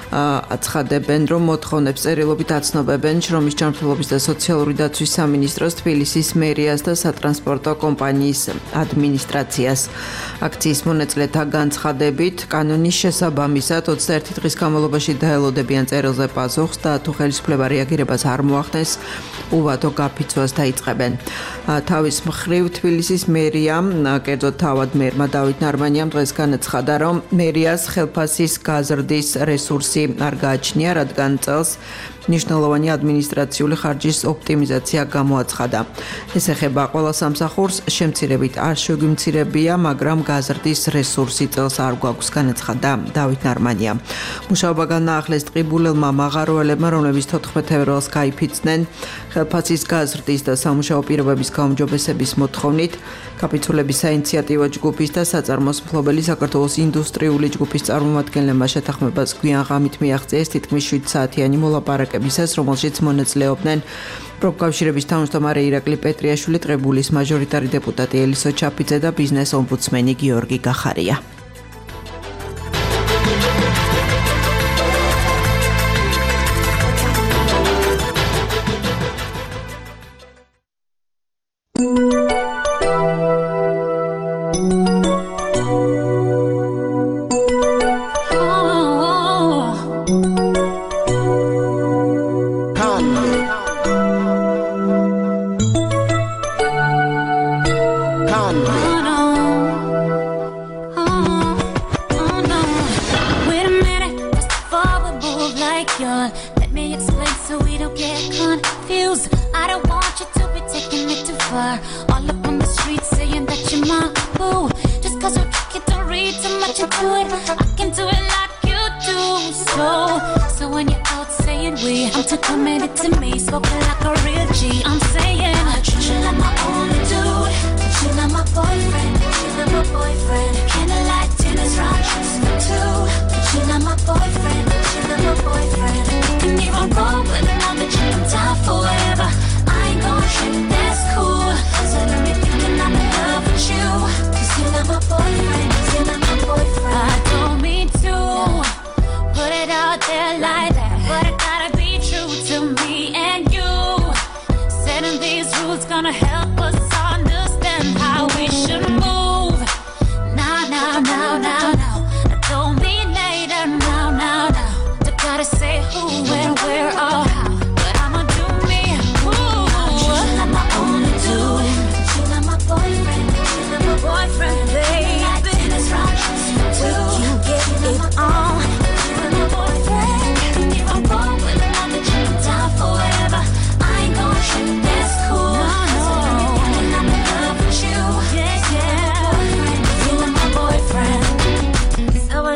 აცხადებენ, რომ მოთხოვნებს წერილობით აცნობებენ შრომის ჯანმრთელობის და სოციალური დაცვის სამინისტროს, თბილისის მერიას და სატრანსპორტო კომპანიის ადმინისტრაციას. აქციის მონაწილეთა განცხადებით, კანონის შესაბამისად 21 დღის განმავლობაში დაელოდებიან წერილზე პასუხს და თუ ხელისუფლება რეაგირებას არ მოახდენს, უვადო გაფიცვას დაიწყებენ. თავის მხრივ თბილისის მერიამ, კერძოდ თავად მერმა დავით ნარმანიამ დღეს განაცხადა, რომ მერიას ხელფასის გაზრდის რესურსი არ გააჩნია, რადგან წელს ნიშნულოვანი ადმინისტრაციული ხარჯის ოპტიმიზაცია გამოაცხადა. ეს ეხება ყველა სამსახურს, შემცირებით არ შეგვიმცირებია, მაგრამ გაზრდის რესურსი წელს არ გვაქვს, განაცხადა დავით ნარმანია. მუშაობა განაახლეს ტყიბულელმა მაღაროელებმა, რომლებიც 14 თებერვალს გაიფიცნენ ხელფასის გაზრდის და სამუშაო პირობების გაუმჯობესების მოთხოვნით. კაპიტულების საინიციატივო ჯგუფის და საწარმოს მფლობელი საქართველოს ინდუსტრიული ჯგუფის წარმომადგენლებმა შეთანხმებას გვიან ღამით მიაღწიეს თითქმის 7 საათიანი მოლაპარაკებისას, რომელშიც მონაწილეობდნენ პროფკავშირების თავმჯდომარე ირაკლი პეტრიაშვილი, ტყიბულის მაჟორიტარი დეპუტატი ელისო ჩაფიძე და ბიზნეს ომბუდსმენი გიორგი გახარია.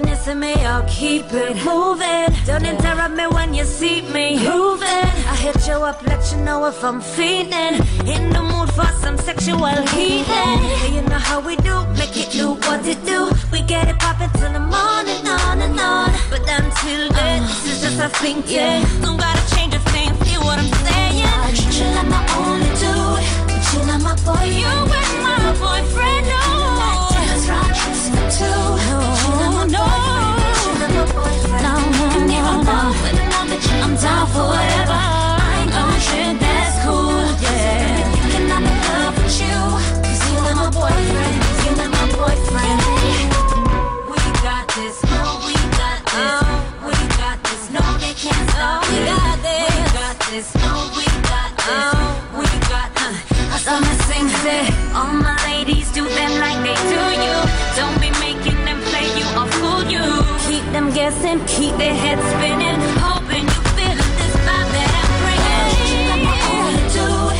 missing me, I'll keep it moving. Don't interrupt me when you see me moving. I hit you up, let you know if I'm feeling in the mood for some sexual healing. You know how we do, make it do what it do. We get it poppin' till the morning, on and on. But until then, this is just a thinking. Don't gotta change a thing, feel what I'm saying. I treat you like my only dude, but you're not my boy. You with my boyfriend, no. I'm down for whatever. I ain't gon' trip, that's cool, yeah. Thinking I'm in love with you, 'cause you're not my boyfriend, you're not my boyfriend. We got this, no, we got this. We got this, no, they can't stop. We got this, we got this, no, we got this. We got I saw my sing say, all my ladies do them like they do you. Don't be making them play you or fool you. Keep them guessing, keep their heads spinning, hoping you feel this vibe that I'm bringing. You're not my only dude,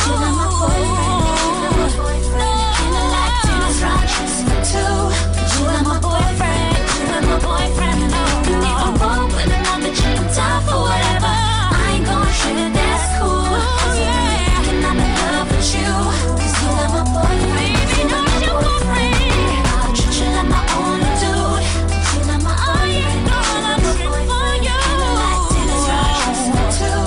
you're not my boyfriend. Feeling like Dennis Rodgers too. You're not my boyfriend, you're not my boyfriend. And if I'm wrong with another chick, I'm down for whatever. I ain't gon' trip, that's cool. Thinking I'm in love with you, 'cause you're not my boyfriend, you're not my boyfriend. I'll treat you like my only dude. You're not my boyfriend, you're not my boyfriend. Feeling like Dennis Rodgers too.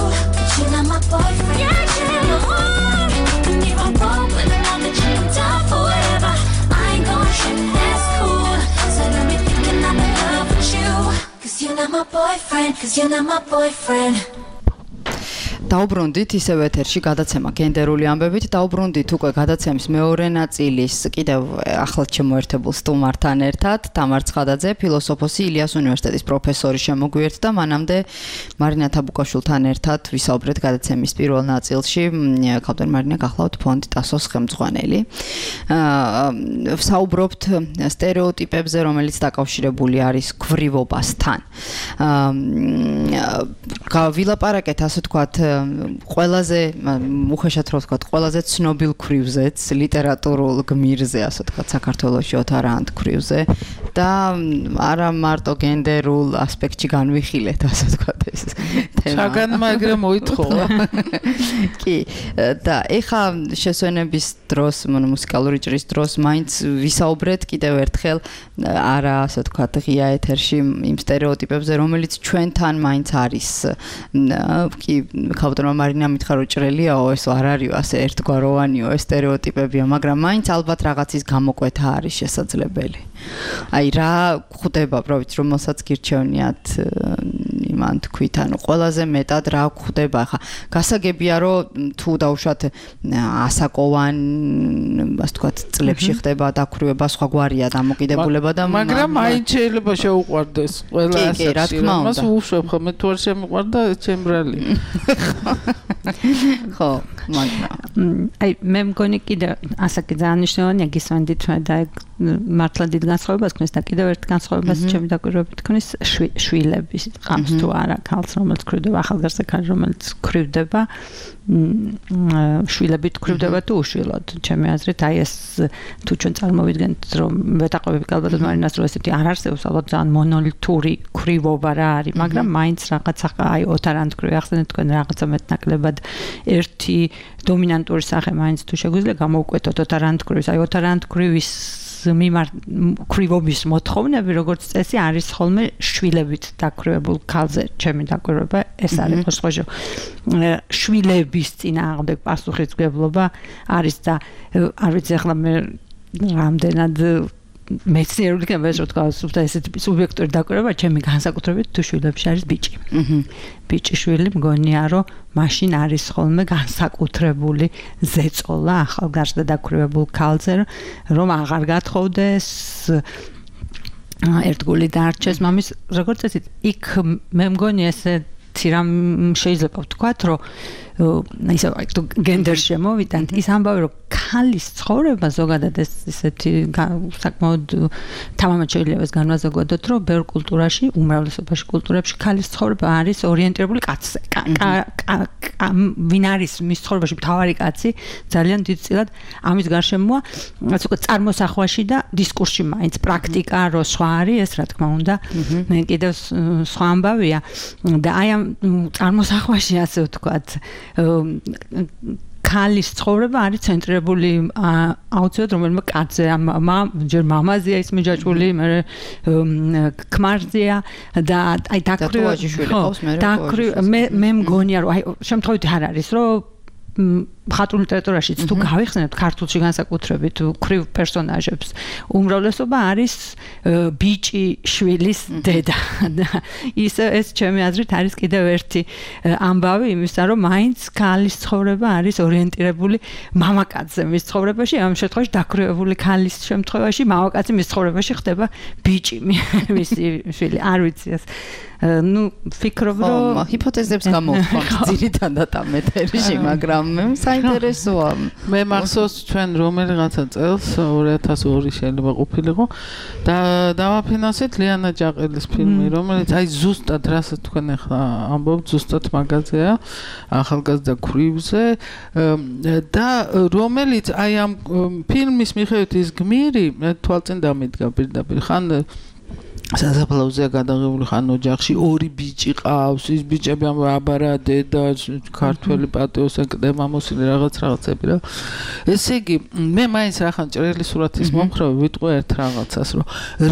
You're not my boyfriend, you're not my boyfriend. And if I'm wrong with another chick, I'm down for whatever. I ain't gon' trip, that's cool. So let me thinking I'm in love with you, 'cause you're not my boyfriend, 'cause you're not my boyfriend. დაუბრუნდით ისევ ეთერში გადაცემა გენდერული ამბებით. დაუბრუნდით უკვე გადაცემის მეორე ნაწილის კიდევ ახლად შემოერთებულ სტუმართან ერთად. თამარ ცხადაძე, ფილოსოფოსი, ილიას უნივერსიტეტის პროფესორი შემოგვიერთდა. მანამდე მარინა თაბუკაშვილთან ერთად ვისაუბრეთ გადაცემის პირველ ნაწილში. ქავდარ მარინა, გახლავთ ფონდი ტასოს ხელმძღვანელი. ვსაუბრობთ სტერეოტიპებზე, რომელიც დაკავშირებული არის გვრივობასთან. ვილაპარაკეთ, ასე ვთქვათ, ყველაზე უხეშად რო ვთქვათ, ყველაზე ცნობილ ქვრივზეც, ლიტერატურულ გმირზე, ასე ვთქვათ, საქართველოში ოთარანტ ქვრივზე და არა მარტო გენდერულ ასპექტში განვიხილეთ, ასე ვთქვათ, ეს თემა. საგან მაგრამ მოითხოვა. კი, და ეხა შესვენების დროს, მუსიკალური ჭრის დროს მაინც ვისაუბრეთ კიდევ ერთხელ არა, ასე ვთქვათ, ღია ეთერში იმ სტერეოტიპებზე, რომელიც ჩვენთან მაინც არის. კი, ქავდრმა მარინა მითხრა რომ ჭრელიაო, ეს არ არისო, ასე ერთგვაროვანიო ეს სტერეოტიპებია, მაგრამ მაინც ალბათ რაღაცის გამოკვეთა არის შესაძლებელი. აი რა გვხვდება, პროვით რომელსაც გირჩევნიათ იმან თქვით, ანუ ყველაზე მეტად რა გვხვდება, ხა გასაგებია რომ თუ დაუშვათ ასაკოვან, ასე ვთქვათ, წლებში ხდება დაქვრივება, სხვაგვარია დამოკიდებულება და მაგრამ მაინც შეიძლება შეუყვარდეს ყველა კი, რა თქმა უნდა. მას უშვებ ხომ, მე თუ არ შემიყვარდა ჩემ ბრალი. ხო, მაგრამ აი მე მგონი კიდე ასაკი ძალიან მნიშვნელოვანია, გისვენდით და მართლა დიდ განსხვავებას ქნის და კიდევ ერთ განსხვავებას ჩემი დაკვირვებით ქნის შვილების ყავს თუ არა ქალს, რომელიც ქვრივდება, ახალგაზრდა ქალი, რომელიც ქვრივდება, შვილები ქვრივდება თუ უშვილოდ. ჩემი აზრით, აი ეს თუ ჩვენ წარმოვიდგენთ, რომ ვეტაყვები ალბათ მარინას რომ ესეთი არ არსებობს, ალბათ ძალიან მონოლითური ქვრივობა რა არის, მაგრამ მაინც რაღაცა აი ოთარანტ ქვრივი ახსენეთ თქვენ რაღაცა მეტნაკლებად ერთი დომინანტური სახე მაინც თუ შეგვიძლია გამოვკვეთოთ ოთარანტ ქვრივის, აი ოთარანტ ქვრივის ქვრივობის მოთხოვნები, როგორც წესი, არის ხოლმე შვილებით დაქვრივებულ ქალზე. ჩემი დაკვირვება ეს არის მოსხოჟო. შვილების წინააღმდეგ პასუხისმგებლობა არის და არ ვიცი ახლა მე რამდენად მეცნიერული იქნება ეს, რომ თქვა, ესეთი სუბიექტური დაკვირვება, ჩემი განსაკუთრებით თუ შვილებში არის ბიჭი. ბიჭი შვილი მგონია, რომ მაშინ არის ხოლმე განსაკუთრებული ზეწოლა ახალგაზრდა დაქვრივებულ ქალზე, რომ აღარ გათხოვდეს, ერთგული დარჩეს მამის, როგორც წესი, იქ მე მგონი ესეთი რამ შეიძლება ვთქვათ, რომ ისე თუ გენდერში მოვიდანთ, ის ამბავი რომ ქალის ცხოვრება ზოგადად ესეთი საკმაოდ თამამად შეიძლება ეს განმაზოგადოთ, რომ ბევრ კულტურაში, უმრავლესობაში კულტურებში ქალის ცხოვრება არის ორიენტირებული კაცზე. ვინ არის მის ცხოვრებაში მთავარი კაცი, ძალიან დიდწილად ამის გარშემოა, ასე ვთქვათ, წარმოსახვაში და დისკურსში მაინც პრაქტიკა რო სხვა არის, ეს რა თქმა უნდა, კიდევ სხვა ამბავია და აი ამ წარმოსახვაში ასე ვთქვათ, ქალის ცხოვრება არის ცენტრირებული აუცილებლად რომელიმე კაცზე, ჯერ მამაზეა ის მიჯაჭვული, მე ქმარზეა და აი მე მგონია რომ აი შემთხვევით არ არის რომ მხატვრულ ლიტერატურაშიც თუ გავიხსენებთ ქართულში განსაკუთრებით ქრივ პერსონაჟებს უმრავლესობა არის ბიჭი შვილის დედა და ეს ჩემი აზრით არის კიდევ ერთი ამბავი იმისა რომ მაინც ქალის ცხოვრება არის ორიენტირებული მამაკაცზე მის ცხოვრებაში ამ შემთხვევაში დაქვრივებული ქალის შემთხვევაში მამაკაცი მის ცხოვრებაში ხდება ბიჭი მისი შვილი არ ვიცი ეს ну ფიქრობ რომ ჰიპოთეზებს გამოვხმობთ ძირითადად ამ ეთერში მაგრამ საინტერესოა მე მახსოვს ჩვენ რომელიღაცა წელს 2002 შეიძლება ყოფილიყო და დავაფინანსეთ ლიანა ჯაყელის ფილმი რომელიც აი ზუსტად რასაც თქვენ ახლა ამბობთ ზუსტად მაგაზეა ახალგაზრდა ქრივზე და რომელიც აი ამ ფილმის მიხედვით ის გმირი თვალწინ დამიდგა პირდაპირ ხან სასაფლაოზე გადაღებული ხან ოჯახში ორი ბიჭი ყავს ის ბიჭები აბარა დედა ქართველი პატიოსან კდება მოსილი რაღაცები რა ესე იგი მე მაინც რახან ჭრელი სურათის მომხრე ვიტყვი ერთ რაღაცას რომ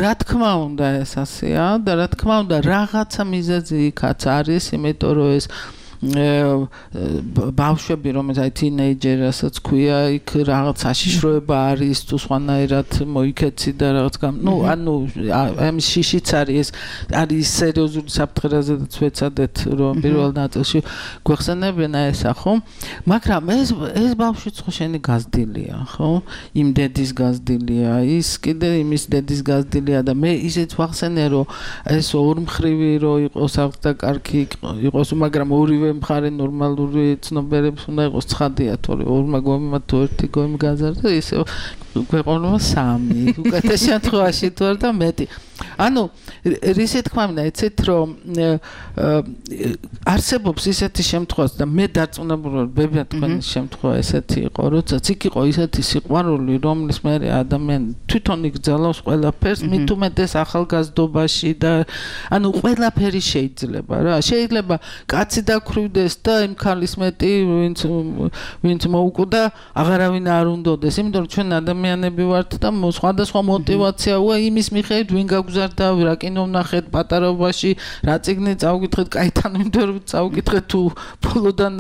რა თქმა უნდა ეს ასეა და რა თქმა უნდა რაღაცა მიზეზი იქაც არის იმიტომ რომ ეს ბავშვები რომელიც აი თინეიჯერასაც ქვია იქ რაღაც საშიშროება არის თუ სხვანაირად მოიქეცი და რაღაც ნუ ანუ ამის შიშიც არის არის სერიოზული საფრთხეზედაც ვეცადეთ რომ პირველ ნაწილში გვეხსენებინა ესა ხო მაგრამ ეს ბავშვიც ხო შენი გაზრდილია ხო იმ დედის გაზრდილია ის კიდე იმის დედის გაზრდილია და მე ისეთ ვახსენე რომ ეს ორმხრივი რომ იყოს აღ და კარგი იყოს მაგრამ ორივე მხარე ნორმალური ცნობიერების უნდა იყოს ცხადია თორე ორმა გომიმ თუ ერთი გომი გაზარდა ისე გვეყონება სამი უკეთეს შემთხვევაში თუ არა და მეტი ანუ რისი თქმა უნდა ეცეთ რომ არსებობს ისეთი შემთხვევაც და მე დარწმუნებული ვარ ბებია თქვენი შემთხვევა ესეთი იყო როდესაც იქ იყო ისეთი სიყვარული რომლის მე ადამიანი თვითონ იგზავნოს ყველაფერს მით უმეტეს ახალგაზრდობაში და ანუ ყველაფერი შეიძლება რა შეიძლება კაცი დაქვრივდეს და იმ ქალის მეტი ვინც მოუკვდა აღარავინ არ უნდოდეს იმიტომ რომ ჩვენ ადამიანები ვართ და სხვადასხვა мотиваციაა იმის მიხედვით ვინ გაგზარდა რა კინო ვნახეთ პატარობაში რა წიგნი წავკითხეთ კაითან ინტერვიუ წავკითხეთ თუ ბოლოდან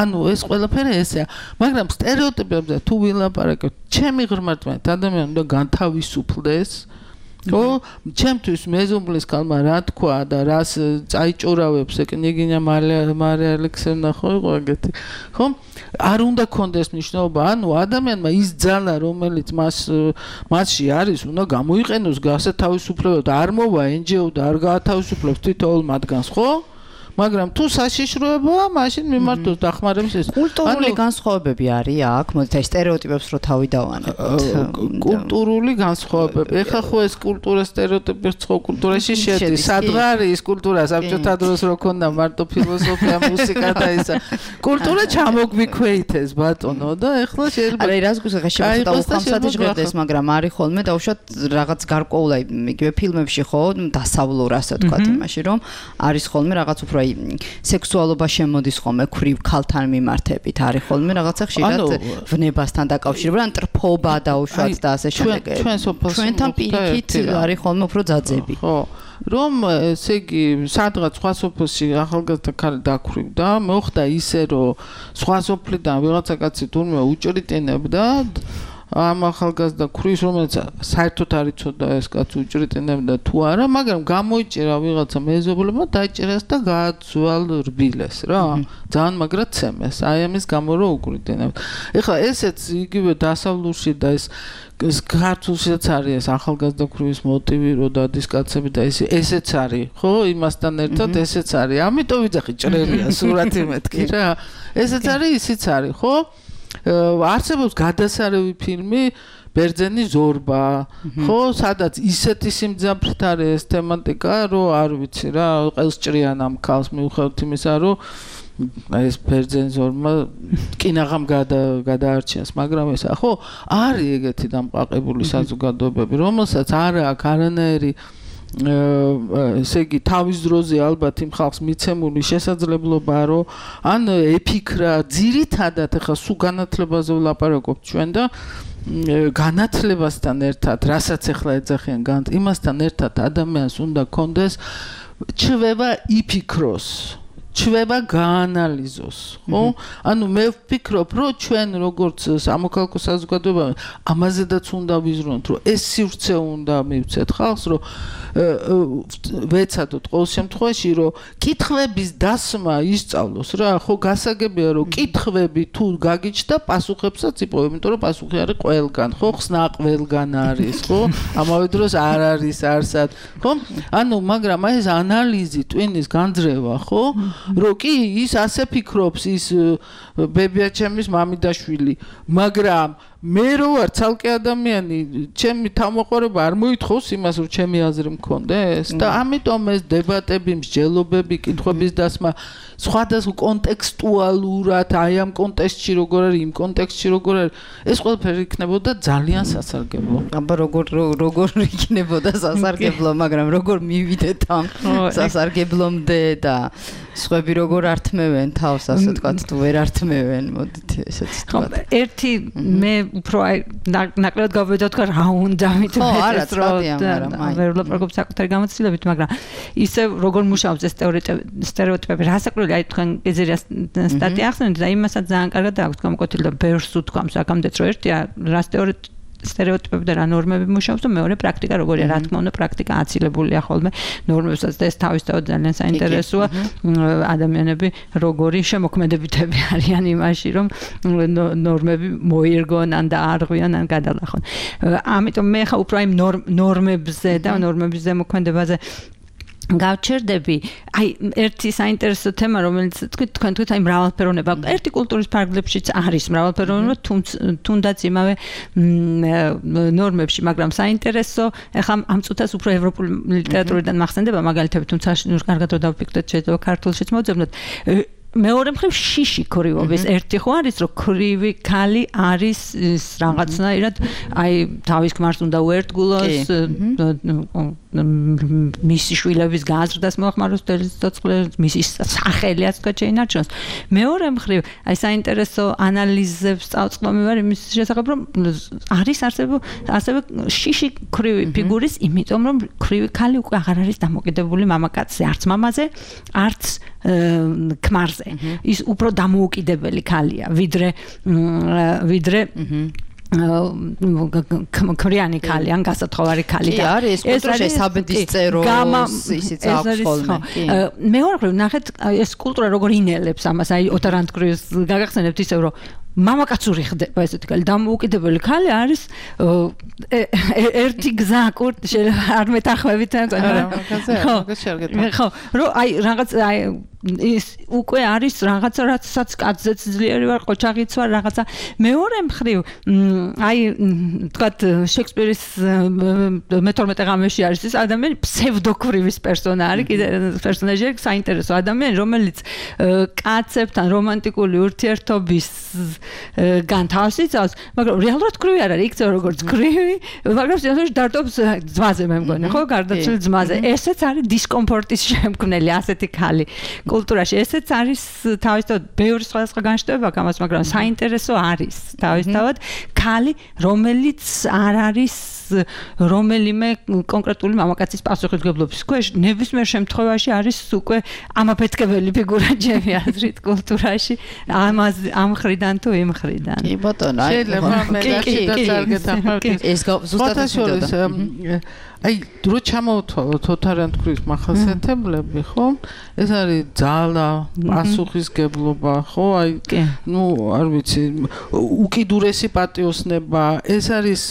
ანუ ეს ყველაფერი ესეა მაგრამ სტერეოტიპებზე თუ ვილაპარაკებთ ჩემი ღრმად ადამიანი უნდა განთავისუფლდეს ო ჩემთვის მეზობლის კალმა რა თქვა და რას წაიჭურავებს ეკნიგინია მარია ალექსეევნა ხო იყო ეგეთი ხო არ უნდა კონდეს მნიშვნელობა ანუ ადამიანმა ის ძალა რომელიც მასში არის უნდა გამოიყენოს გასათავისუფლებად და არ მოვა NGO და არ გაათავისუფლებს თითოეულ მათგანს ხო მაგრამ თუ საშიშროებაა მაშინ მიმართოს დახმარების ეს კულტურული განსხვავებები არის აქ მოდით აი სტერეოტიპებს რო თავი დავანებოთ კულტურული განსხვავებები ეხლა ხო ეს კულტურა სტერეოტიპებს ხო კულტურაში შედის სადღარი ის კულტურა საბჭოთა დროს რო ქონდა მარტო ფილოსოფია მუსიკა და ისა კულტურა ჩამოგვიქვეითეს ბატონო და ეხლა შეიძლება არა რას გულს ახლა უხამსათი ჟღერდეს მაგრამ არის ხოლმე დაუშვათ რაღაც გარკვეულ აი იგივე ფილმებში ხო დასავლურ ასე თქვა იმაში რომ არის ხოლმე რაღაც უფრო სექსუალობა შემოდის ხოლმე ქრივ ქალთან მიმართებით არის ხოლმე რაღაცა ხშირად ვნებასთან დაკავშირებული ან ტრფობა დაუშვათ და ასე შემდეგ ჩვენთან პირიქით არის ხოლმე უფრო ძაძები ხო რომ ესე იგი სადღაც სხვა სოფელში ახალგაზრდა ქალი დაქვრივდა მოხდა ისე რომ სხვა სოფლიდან ვიღაცა კაცი თურმე უჭრიტინებდა ამ ახალგაზრდა ქრის, რომელიც საერთოდ არ იცოდა ეს კაცი უჭრიტინებდა თუ არა, მაგრამ გამოიჭირა ვიღაცა მეზობლებმა, დაიჭერას და გააცვალ რბილეს რა. ძალიან მაგრად ცემეს. აი ამის გამო რო უკრიტინებდა. ეხლა ესეც იგივე დასავლურში და ეს ქართულშიც არის ეს ახალგაზრდა ქრის მოტივი რო დადის კაცები და ესეც არის, ხო? იმასთან ერთად ესეც არის. ამიტომ ვიძახი ჭრელია სურათი მეთქი რა. ესეც არის, ისიც არის, ხო? არსებობს გადასარევი ფილმი ბერძენი ზორბა, ხო, სადაც ისეთი სიმძაფრით არის ეს თემატიკა, რომ არ ვიცი რა, ყელს ჭრიან ამ ქალს მიუხედავად იმისა, რომ ეს ბერძენი ზორბა კინაღამ გადაარჩიეს, მაგრამ ესა, ხო, არის ეგეთი დამყაყებული საზოგადოებები, რომელსაც არ აქვს არანაირი ესე იგი თავის დროზე ალბათ იმ ხალხს მიცემული შესაძლებლობა რომ ან ეფიქრა ძირითადად ახლა სულ განათლებაზე ვლაპარაკობთ ჩვენ და განათლებასთან ერთად რასაც ახლა ეძახიან იმასთან ერთად ადამიანს უნდა კონდეს ჩვევა იფიქროს ჩვევა გაანალიზოს ხო ანუ მე ვფიქრობ რომ ჩვენ როგორც სამოქალაქო საზოგადოება ამაზედაც უნდა ვიზრუნოთ რომ ეს სივრცე უნდა მივცეთ ხალხს რომ ვეცადოთ ყოველ შემთხვევაში რომ კითხვების დასმა ისწავლოს რა ხო გასაგებია რომ კითხვები თუ გაგიჩნდა პასუხებსაც იპოვებ იმიტომ რომ პასუხი არის ყველგან ხო ხსნა ყველგან არის ხო ამავე დროს არ არის არსად ხო ანუ მაგრამ აი ეს ანალიზი ტვინის განძრევა ხო რო კი ის ასე ფიქრობს ის ბებია ჩემის მამიდაშვილი მაგრამ მე რო ვარ ცალკე ადამიანი ჩემი თავმოყარება არ მოითხოვს იმას რომ ჩემი აზრი მქონდეს და ამიტომ ეს დებატები მსჯელობები კითხვების დასმა სხვადასხვა კონტექსტუალურად აი ამ კონტექსტში როგორ არის იმ კონტექსტში როგორ არის ეს ყველაფერი იქნებოდა ძალიან სასარგებლო აბა როგორ იქნებოდა სასარგებლო მაგრამ როგორ მივიდეთ ამ სასარგებლომდე და სხვები როგორ ართმევენ თავს ასე თქვათ თუ ვერ ართმევენ მოდით ესეც თქვათ ერთი მე უფრო აი ნაკლებად გავვედოთ რა უნდა მითხრეს რომ ვერ ვლაპარაკობ საკუთარი გამოცდილებით მაგრამ ისე როგორ მუშაობს ეს სტერეოტიპები რასაკვირველია აი თქვენ ეზერია სტატია ახსენეთ და იმასაც ძალიან კარგად აქვს გამოკვეთილი და ბევრს უთქვამს აქამდეც რომ ერთია რა სტერეოტიპები და რა ნორმები მუშაობს და მეორე პრაქტიკა როგორია რა თქმა უნდა პრაქტიკა აცილებულია ხოლმე ნორმებსაც და ეს თავისთავად ძალიან საინტერესოა ადამიანები როგორი შემოქმედებითები არიან იმაში რომ ნორმები მოირგონ ან დაარღვიონ ან გადალახონ ამიტომ მე ხა უფრო აი ნორმებზე და ნორმების ზემოქმედებაზე გავჩერდები აი ერთი საინტერესო თემა რომელიც თქვენ თქვით აი მრავალფეროვნება ერთი კულტურის ფარგლებშიც არის მრავალფეროვნება თუნდაც იმავე ნორმებში მაგრამ საინტერესო ეხლა ამ წუთას უფრო ევროპული ლიტერატურიდან მახსენდება მაგალითები თუმცა კარგად რომ დავფიქრდეთ შეიძლება ქართულშიც მოძებნოთ მეორე მხრივ შიში ქრივობის ერთი ხო არის რომ ქრივი ქალი არის რაღაცნაირად აი თავის ქმარს უნდა უერთგულოს მისი შვილების გაზრდას მოახმაროს თელესოწყლებს მისი სახელიაც თქვა შეინარჩუნოს მეორე მხრივ აი საინტერესო ანალიზებს წავწყობი ვარ იმის შესახებ რომ არის ასევე შიში ქრივი ფიგურის იმიტომ რომ ქრივი ქალი უკვე აღარ არის დამოკიდებული მამაკაცზე არც მამაზე არც ქმარზე ის უფრო დამოუკიდებელი ქალია ვიდრე ქრიანი ქალი ან გასათხოვარი ქალი და არის ეს კულტურაში საბედისწეროს ისიც აქვს ხოლმე მეორე ნახეთ ეს კულტურა როგორ ინელებს ამას აი ოთარანტკრის გაგახსენებთ ისევ რომ მამაკაცური ხდება ესეთი ქალი დამოუკიდებელი ქალი არის ერთი გზა შეიძლება არ მეთანხმებით ხო რომ აი რაღაც აი ის უკვე არის რაღაცა რაცაც კაცზეც ძლიერი ვარ ყოჩაღიც ვარ რაღაცა მეორე მხრივ აი თქვათ შექსპირის მე-12 ღამეში არის ის ადამიანი ფსევდოქრივის პერსონა არის კიდე პერსონაჟი საინტერესო ადამიანი რომელიც კაცებთან რომანტიკული ურთიერთობის განთავს იცავს მაგრამ რეალურად ქრივი არ არის იქცევა როგორც ქრივი მაგრამ სიახლოვე დარტობს ძმაზე მე მგონი ხო გარდაცვლილ ძმაზე ესეც არის დისკომფორტის შემქმნელი ასეთი ქალი კულტურაში ესეც არის თავისთავად ბევრი სხვადასხვა განშტოება გამას მაგრამ საინტერესო არის თავისთავად ქალი რომელიც არ არის რომელიმე კონკრეტული მამაკაცის პასუხისმგებლობის ქვეშ ნებისმიერ შემთხვევაში არის უკვე ამაფეთქებელი ფიგურა ჩემი აზრით კულტურაში ამ ხრიდან თუ იმ ხრიდან. კი ბატონო, შეიძლება მე გასაგებად ახმარკი. ეს ზუსტად ისე აი დრო ჩამოვთვალოთ ოთარანთქვრის მახასიათებლები, ხო? ეს არის ძალა, პასუხისგებლობა, ხო? აი ნუ არ ვიცი, უკიდურესი პატიოსნება, ეს არის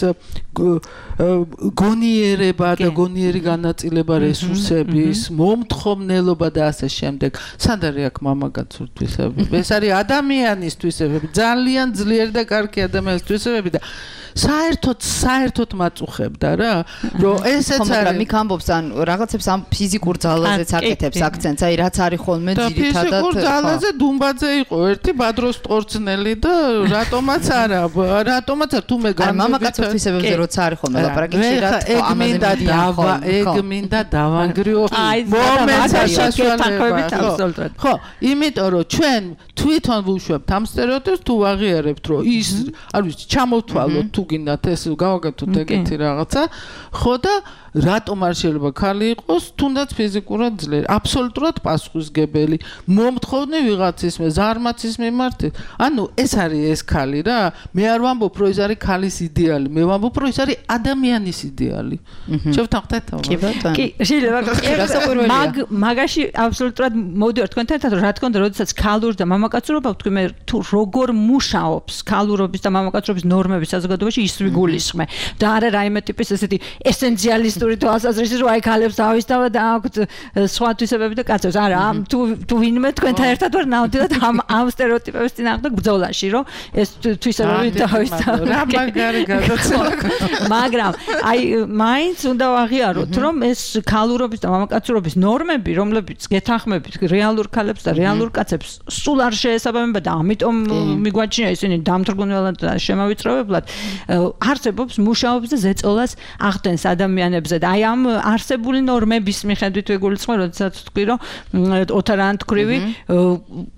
გონიერება და გონიერი განაწილება რესურსების, მომთხოვნელობა და ასე შემდეგ. სად არის აქ მამაკაცური თვისებები? ეს არის ადამიანის თვისებები, ძალიან ძლიერი და კარგი ადამიანის თვისებები და საერთოდ მაწუხებდა რა, რომ ესეც არის. მაგრამ იქ ამბობს ან რაღაცებს ამ ფიზიკურ ძალაზეც აკეთებს აქცენტს, აი რაც არის ხოლმე ძირითადად. ფიზიკურ ძალაზე დუმბაძე იყო ერთი ბადროს ტყორცნელი და რატომაც არა, თუ მე გამოვიდე. მამაკაცურ თვისებებზე როცა არის ხოლმე ლაპარაკი, ეგ მინდა დავანგრიო მომენტს საშუალება. ხო, იმიტომ რომ ჩვენ თვითონ ვუშვებთ ამ სტერეოტიპს თუ ვაღიარებთ, რომ ის არ ვიცი, ჩამოვთვალოთ თუ გინდათ ეს გავაკეთოთ ეგეთი რაღაცა, ხო და რატომ არ შეიძლება ქალი იყოს თუნდაც ფიზიკურად ძლიერი, აბსოლუტურად პასუხისმგებელი, მომთხოვნი ვიღაცის ზარმაცის მიმართ. ანუ ეს არის ეს ქალი რა, მე არ ვამბობ რომ ეს არის ქალის იდეალი, მე ვამბობ რომ ეს არის ადამიანის იდეალი. შევთანხმდეთ თავს. კი ბატონო. კი, შეიძლება მაგაში აბსოლუტურად მოვიდივარ თქვენთან ერთად, რა თქმა უნდა, როდესაც ქალურ და მამაკაცურობა ვთქვი, მე თუ როგორ მუშაობს ქალურობის და მამაკაცურობის ნორმები საზოგადოებაში, ის ვიგულისხმე. და არა რაიმე ტიპის ესეთი ესენციალისტური თვალსაზრისით, რომ აი ქალებს დავისთავა და აქვთ სხვა თვისებები და კაცებს. არა, თუ ვინმე თქვენთან ერთად ვარ ნამდვილად ამ სტერეოტიპების წინააღმდეგ ბრძოლაში, რომ ეს თვისებები დავისთავა. რა მაგარი გადაცემა. მაგრამ აი მაინც უნდა ვაღიაროთ, რომ ეს ქალურობის და მამაკაცურობის ნორმები, რომლებიც გეთანხმებით რეალურ ქალებს და რეალურ კაცებს სულ არ შეესაბამება და ამიტომ მიგვაჩნია ისინი დამთრგუნველად და შემავიწროვებლად არსებობს მუშაობს და ზეწოლას ახდენს ადამიანებზე და აი ამ არსებული ნორმების მიხედვით ვიგულისხმე, როდესაც ვთქვი, რომ ოთარანთქვრივი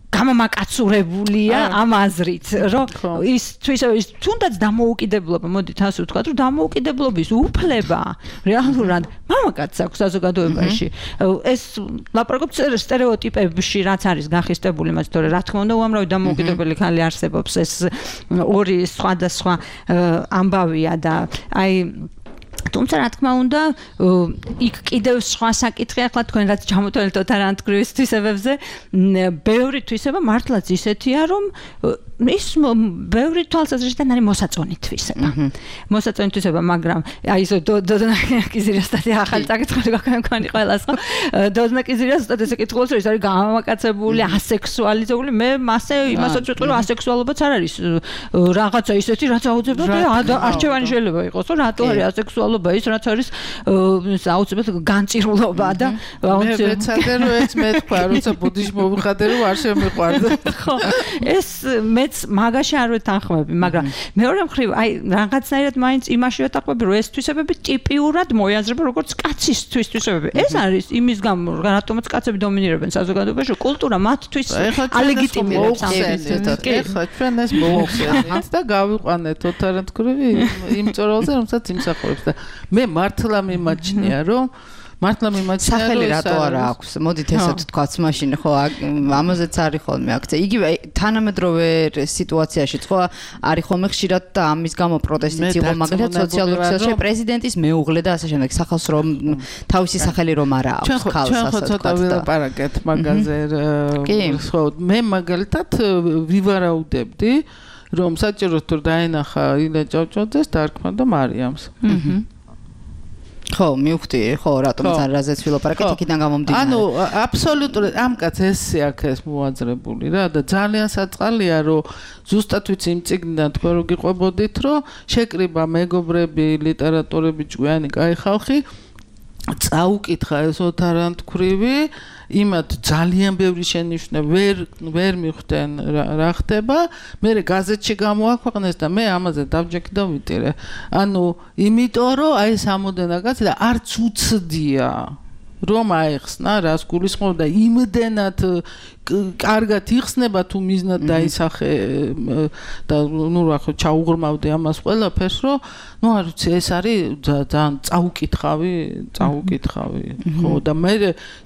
გამომაკაცურებულია ამ აზრით, რომ ის თვისებების თუნდაც დამოუკიდებლობა, მოდით ასე ვთქვათ, რომ დამოუკიდებლობის უფლება რეალურად მამაკაცს აქვს საზოგადოებაში. ეს ლაპარაკობთ სტერეოტიპებში, რაც არის გახისტებული მას, თორე რა თქმა უნდა, უამრავი დამოუკიდებელი ქალი არსებობს, ეს ორი სხვადასხვა ამბავია და აი თუმცა რა თქმა უნდა იქ კიდევ სხვა საკითხი ახლა თქვენ რაც ჩამოთვალეთ ოთარანთქვრის თვისებებზე ბევრი თვისება მართლაც ისეთია რომ ის ბევრი თვალსაზრისიდან არის მოსაწონი თვისება მოსაწონი თვისება მაგრამ აი ეს დოდნაკიზირასთან ახალი საკითხი გაქონი ყველას ხო დოდნაკიზირასთან ესე კითხულობს რომ ის არის გამამაკაცებული ასექსუალიზებული მე მასე იმასაც ვიტყვი რომ ასექსუალობაც არ არის რაღაცა ისეთი რაც აუცილებლად არჩევანი შეიძლება იყოს რომ რატო არის ასექსუალობა ის რაც არის აუცილებლად განწირულობა და მე ვეცადე რომ ეს მე თქვა როცა ბუდიზმი მოვიხადე რომ არ შემიყვარდა ხო ეს მეც მაგაში არ ვეთანხმები მაგრამ მეორე მხრივ აი რაღაცნაირად მაინც იმაში ვეთანხმები რომ ეს თვისებები ტიპიურად მოიაზრება როგორც კაცის თვისებები ეს არის იმის გამო რატომაც კაცები დომინირებენ საზოგადოებაში კულტურა მათთვის ალეგიტიმირებს ეხლა ჩვენ ეს მოვხსენეთ და გავიყვანეთ ოთარანთქვრივი იმ წორალზე რომელსაც იმსახურებს და მე მართლა მიმაჩნია რომ სახელი რატო არა აქვს მოდით ესეთ თქვაც მაშინ ხო ამაზეც არის ხოლმე აქცია იგივე თანამედროვე სიტუაციაში ხო არის ხოლმე ხშირად და ამის გამო პროტესტიც იყო მაგალითად სოციალურ ქსელში პრეზიდენტის მეუღლე და ასე შემდეგ სახალხს რომ თავისი სახელი რომ არა აქვს ხალხს ჩვენ ხო ცოტა ვილაპარაკეთ მაგაზე ხო მე მაგალითად ვივარაუდებდი რომ საჭიროდ თუ დაენახა ილა ჭავჭავაძეს დარქმა და მარიამს ხო მივხვდი ხო რატომაც არ რაზეც ვილაპარაკეთ იქიდან გამომდინარე ანუ აბსოლუტურად ამ კაც ესე აქ მოაძრებული რა და ძალიან საწყალია რომ ზუსტად ვიცი იმ წიგნიდან თქვენ რო გიყვებოდით რომ შეკრიბა მეგობრები ლიტერატორები ჭკვიანი კაი ხალხი წაუკითხა ეს ოთარანთქვრივი იმათ ძალიან ბევრი შენიშვნა ვერ მიხვდნენ რა ხდება მე გაზეთში გამოაქვეყნეს და მე ამაზე დავჯექი და ვიტირე ანუ იმიტომ რომ აი სამოდენა კაცი და არც უცდია რომ აეხსნა რას გულისხმობ და იმდენად კარგად იხსნება თუ მიზნად დაისახე და ნუ რა ხო ჩაუღრმავდი ამას ყველაფერს რომ ნუ არ ვიცი ეს არის ძალიან წაუკითხავი ხო და მე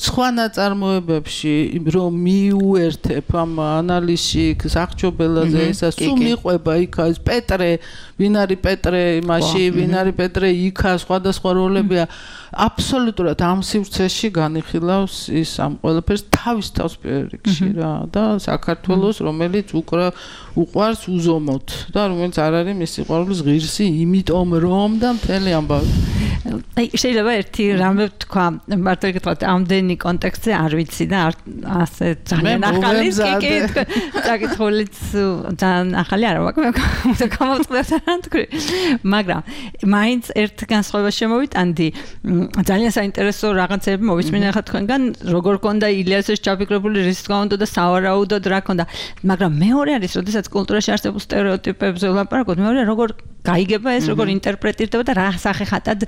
სხვა ნაწარმოებებში რომ მიუერთებ ამ ანალიზში სახჭობელაზე ესა სულ მიყვება იქა ეს პეტრე ვინ არის პეტრე იმაში ვინ არის პეტრე იქა სხვადასხვა როლებია აბსოლუტურად ამ სივრცეში განიხილავს ის ამ ყველაფერს თავის თავს პირველ რიგში რა და საქართველოს რომელიც უყვარს უზომოდ და რომელიც არ არის მისი ყვარლის ღირსი იმიტომ რომ და მთელი ამბავი აი შეიძლება ერთი რამე თქვა მარტო ეკითხა ამდენი კონტექსტზე არ ვიცი და ასე ძალიან ახალი კი საკითხულიც ძალიან ახალი არა მაგრამ გამოვწყდა თქვი მაგრამ მაინც ერთ განსხვავებას შემოვიტანდი ძალიან საინტერესო რაღაცები მოვისმინე ხა თქვენგან როგორ კონდა ილიასეს ჩაფიქრებული რის თქმა უნდა და სავარაუდოდ რა კონდა მაგრამ მეორე არის როდესაც კულტურაში არსებულ სტერეოტიპებზე ვლაპარაკობთ მეორე როგორ გაიგება ეს როგორ ინტერპრეტირდება და რა სახეხატად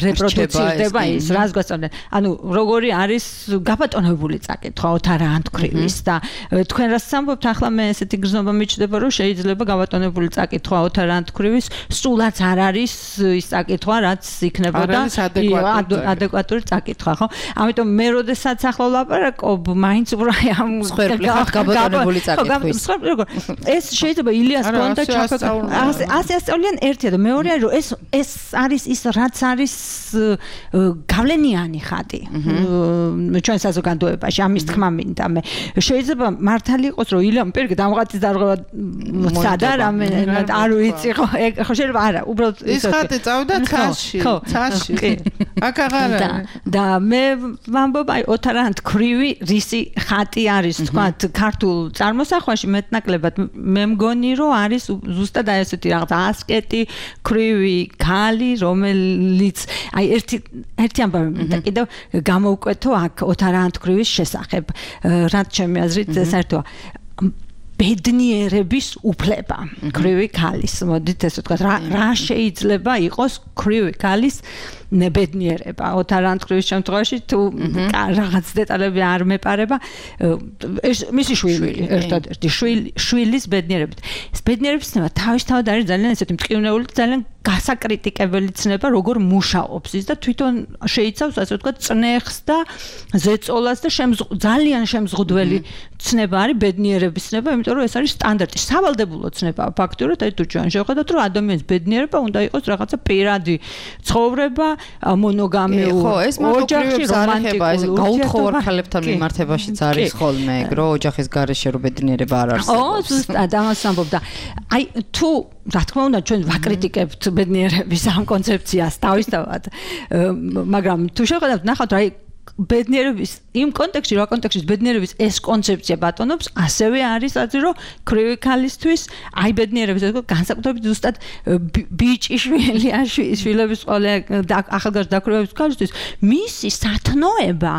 რეპროდუცირდება ის რას გვასწავლენ ანუ როგორი არის გაბატონებული წაკითხვა ოთარ ანთქრივის და თქვენ რას ამბობთ ახლა მე ესეთი გრძნობა მიჩნდება რომ შეიძლება გაბატონებული წაკითხვა ოთარ ანთქრივის სულაც არ არის ის წაკითხვა რაც იქნებოდა ადეკვატური წაკითხვა ხო ამიტომ მე როდესაც ახლა ვლაპარაკობ მაინც უფრო ამ გაბატონებული წაკითხვის ეს შეიძლება ილიას კონდა ასე ასწავლიან ერთია და მეორეა რომ ეს არის ის რაც არის გავლენიანი ხატი ჩვენ საზოგადოებაში ამის თქმა მინდა მე შეიძლება მართალი იყოს რომ ილიამ პირიქით ამღაცის დარღვევა სადა რამე არ ვიცი ხო შეიძლება არა უბრალოდ ის ხატი წავიდა ცაში აქ აღარ და მე ვამბობ აი ოთარ ანთქრივი რისი ხატი არის თქვა ქართულ წარმოსახვაში მეტნაკლებად მე მგონი რომ არის ზუსტად აი ესეთი რაღაც ასკეტი ქრივი ქალი რომელიც აი ერთი ამბავი მინდა კიდევ გამოვკვეთო აქ ოთარ ანთქრივის შესახებ რაც ჩემი აზრით საერთოა ბედნიერების უფლება ქრივი ქალის მოდით ესე ვთქვათ რა შეიძლება იყოს ქრივი ქალის ნებედნიერება ოთარ ანთქრივის შემთხვევაში თუ რაღაც დეტალები არ მეპარება ეს მისი შვილი ერთადერთი შვილის ბედნიერებით ეს ბედნიერების ცნება თავისთავად არის ძალიან ესეთი მტკივნეული ძალიან გასაკრიტიკებელი ცნება როგორ მუშაობს ის და თვითონ შეიცავს ასე ვთქვათ წნეხს და ზეწოლას და ძალიან შემზღუდველი ცნება არის ბედნიერების ცნება იმიტომ რომ ეს არის სტანდარტი სავალდებულო ცნება ფაქტურად აი თუ ჩვენ შევხედოთ რომ ადამიანის ბედნიერება უნდა იყოს რაღაცა პირადი ცხოვრება მონოგამიური ხო ეს ოჯახში რომანტიკული ეს გაუთხოვარ ქალებთან მიმართებაშიც არის ხოლმე რომ ოჯახის გარეშე რომ ბედნიერება არ არსებობს ო ზუსტად ამას ამბობ და აი თუ რა თქმა უნდა ჩვენ ვაკრიტიკებთ ბედნიერების ამ კონცეფციას თავისთავად მაგრამ თუ შევხედავთ ნახავთ რა ბედნიერების იმ კონტექსტში რა კონტექსტში ბედნიერების ეს კონცეფცია ბატონობს ასევე არის ასე რომ ქრივი ქალისთვის აი ბედნიერების ეს განსაკუთრებით ზუსტად ბიჭი შვილების ყოლე ახალგაზრდა დაქვრივების ქალისთვის მისი სათნოება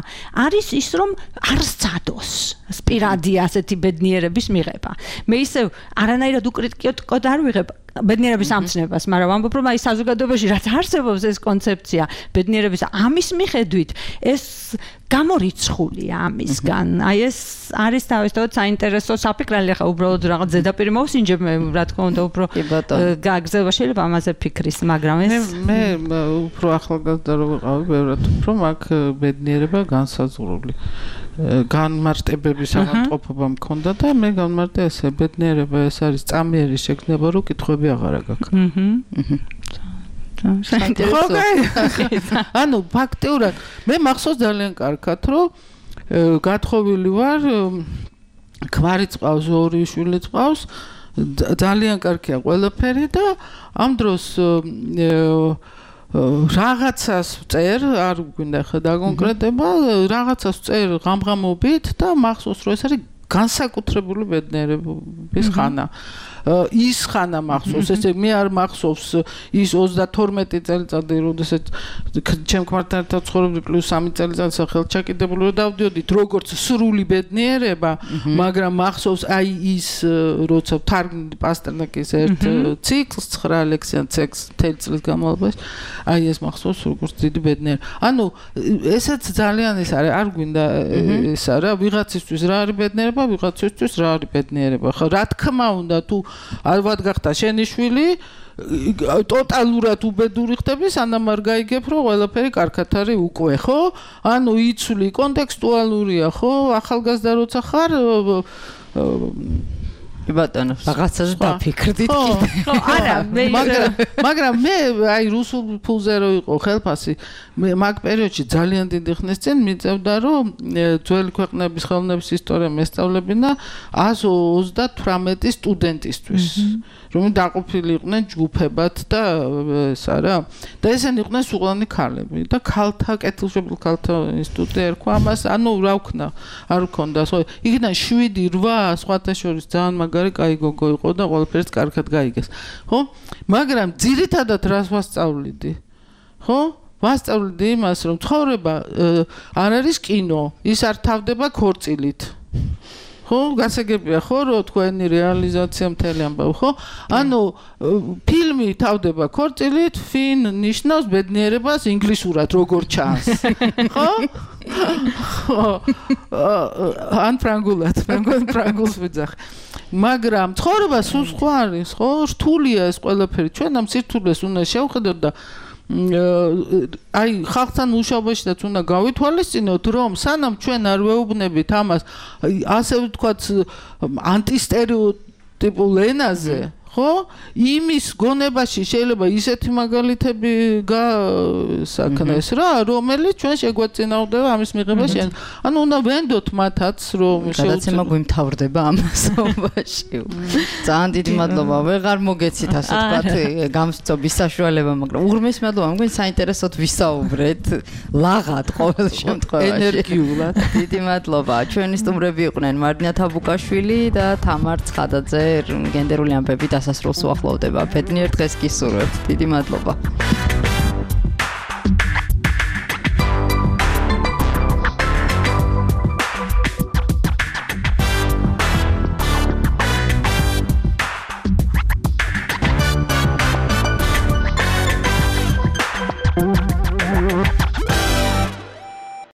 არის ის რომ არ სცადოს სპირადი ასეთი ბედნიერების მიღება მე ისევ არანაირად უკრიტიკოდ არ ვიღებ ბედნიერების ამცნებას, მაგრამ ვამბობ რომ აი საზოგადოებაში რაც არსებობს ეს კონცეფცია ბედნიერების ამის მიხედვით ეს გამორიცხულია ამისგან. აი ეს არის თავისთავად საინტერესო საფიქრალი ხა უბრალოდ რაღაც ზედაპირი მოვსინჯებ მე რა თქმა უნდა უფრო გაგზავნა შეიძლება ამაზე ფიქრის, მაგრამ ეს მე უფრო ახალგაზრდა რო ვიყავი, ბევრად უფრო მაგ ბედნიერება განსაზღვრული. განმარტებების ავადმყოფობა მქონდა და მე განმარტე ესე ბედნიერება ეს არის წამიერი შექმნება რომ კითხვები აღარ გაქვს. ანუ ფაქტიურად მე მახსოვს ძალიან კარგად რომ გათხოვილი ვარ ქმარი წყავს ორი შვილი წყავს ძალიან კარგია ყველაფერი და ამ დროს რაღაცას წერ არ გვინდა ხედა კონკრეტება რაღაცას წერ ღამღამობით და მახსოვს რომ ეს არის განსაკუთრებული ბედნიერების ხანა ის ხანა მახსოვს, ესე მე არ მახსოვს ის 32 წელიწადი, როდესაც ჩემ ქმართან ერთად ცხოვრობდი პლუს 3 წელიწადი ხელჩაკიდებული რომ დავდიოდით როგორც სრული ბედნიერება, მაგრამ მახსოვს აი ის როცა თარგმნი პასტერნაკის ერთ ციკლს 9 ლექსიან ციკლს წლის განმავლობაში, აი ეს მახსოვს როგორც დიდი ბედნიერება. ანუ ესეც ძალიან ის არის, არ გვინდა ეს არა, ვიღაცისთვის რა არის ბედნიერება, ვიღაცისთვის რა არის ბედნიერება. ხო, რა თქმა უნდა, თუ ალბათ გახდა შენი შვილი ტოტალურად უბედური ხდები, სანამ არ გაიგებ, რომ ყველაფერი კარგად არის უკვე, ხო? ანუ იცვლი კონტექსტუალურია, ხო? ახალგაზრდა როცა ხარ, ბატონო, რაღაცას დაფიქრდით კიდე. ხო, არა, მაგრამ მე აი რუსულ ფულზე რო იყო ხელფასი, მე მაგ პერიოდში ძალიან დიდი ხნის წინ მიწევდა, რომ ძველი ქვეყნების ხელოვნების ისტორია მესწავლებინა 138 სტუდენტისთვის. რომ დაყოფილი იყვნენ ჯგუფებად და ეს არა და ესენი იყვნენ სუღლანი ქალები და ქალთა კეთილშობილ ქალთა ინსტიტუტი ერქვა ამას ანუ რა ვქნა არ ვქონდა ხო იქიდან 7-8 სხვათა შორის ძალიან მაგარი კაი გოგო იყო და ყველაფერს კარგად გაიგეს ხო მაგრამ ძირითადად რას ვასწავლიდი ხო ვასწავლდი იმას რომ ცხოვრება არ არის კინო ის არ თავდება ქორწილით ხო გასაგებია ხო რომ თქვენი რეალიზაცია მთელი ამბავი ხო ანუ ფილმი თავდება ქორწილით ფინ ნიშნავს ბედნიერებას ინგლისურად როგორ ჩანს ხო ან ფრანგულად ფრანგულს ვიძახ მაგრამ ცხოვრება სულ სხვა არის ხო რთულია ეს ყველაფერი ჩვენ ამ სირთულეს უნდა შევხედოთ და აი ხალხთან მუშაობაშიც უნდა გავითვალისწინოთ რომ სანამ ჩვენ არ ვეუბნებით ამას ასე ვთქვათ ანტისტერეოტიპულ ენაზე ხო იმის გონებაში შეიძლება ისეთი მაგალითები გასაქნეს რა რომელიც ჩვენ შეგვეწინააღმდება ამის მიღებაში ანუ უნდა ვენდოთ მათაც რომ გადაცემა გვიმთავრდება ამასობაში ძალიან დიდი მადლობა ვეღარ მოგეცით ასე ვთქვათ გამწობის საშუალება მაგრამ უღრმეს მადლობა მგონი საინტერესოდ ვისაუბრეთ ლაღად ყოველ შემთხვევაში ენერგიულად დიდი მადლობა ჩვენი სტუმრები იყვნენ მარდინა თაბუკაშვილი და თამარ ცხადაძე გენდერული ამბები დასასრულს უახლოვდება. ბედნიერ დღეს გისურვებთ. დიდი მადლობა.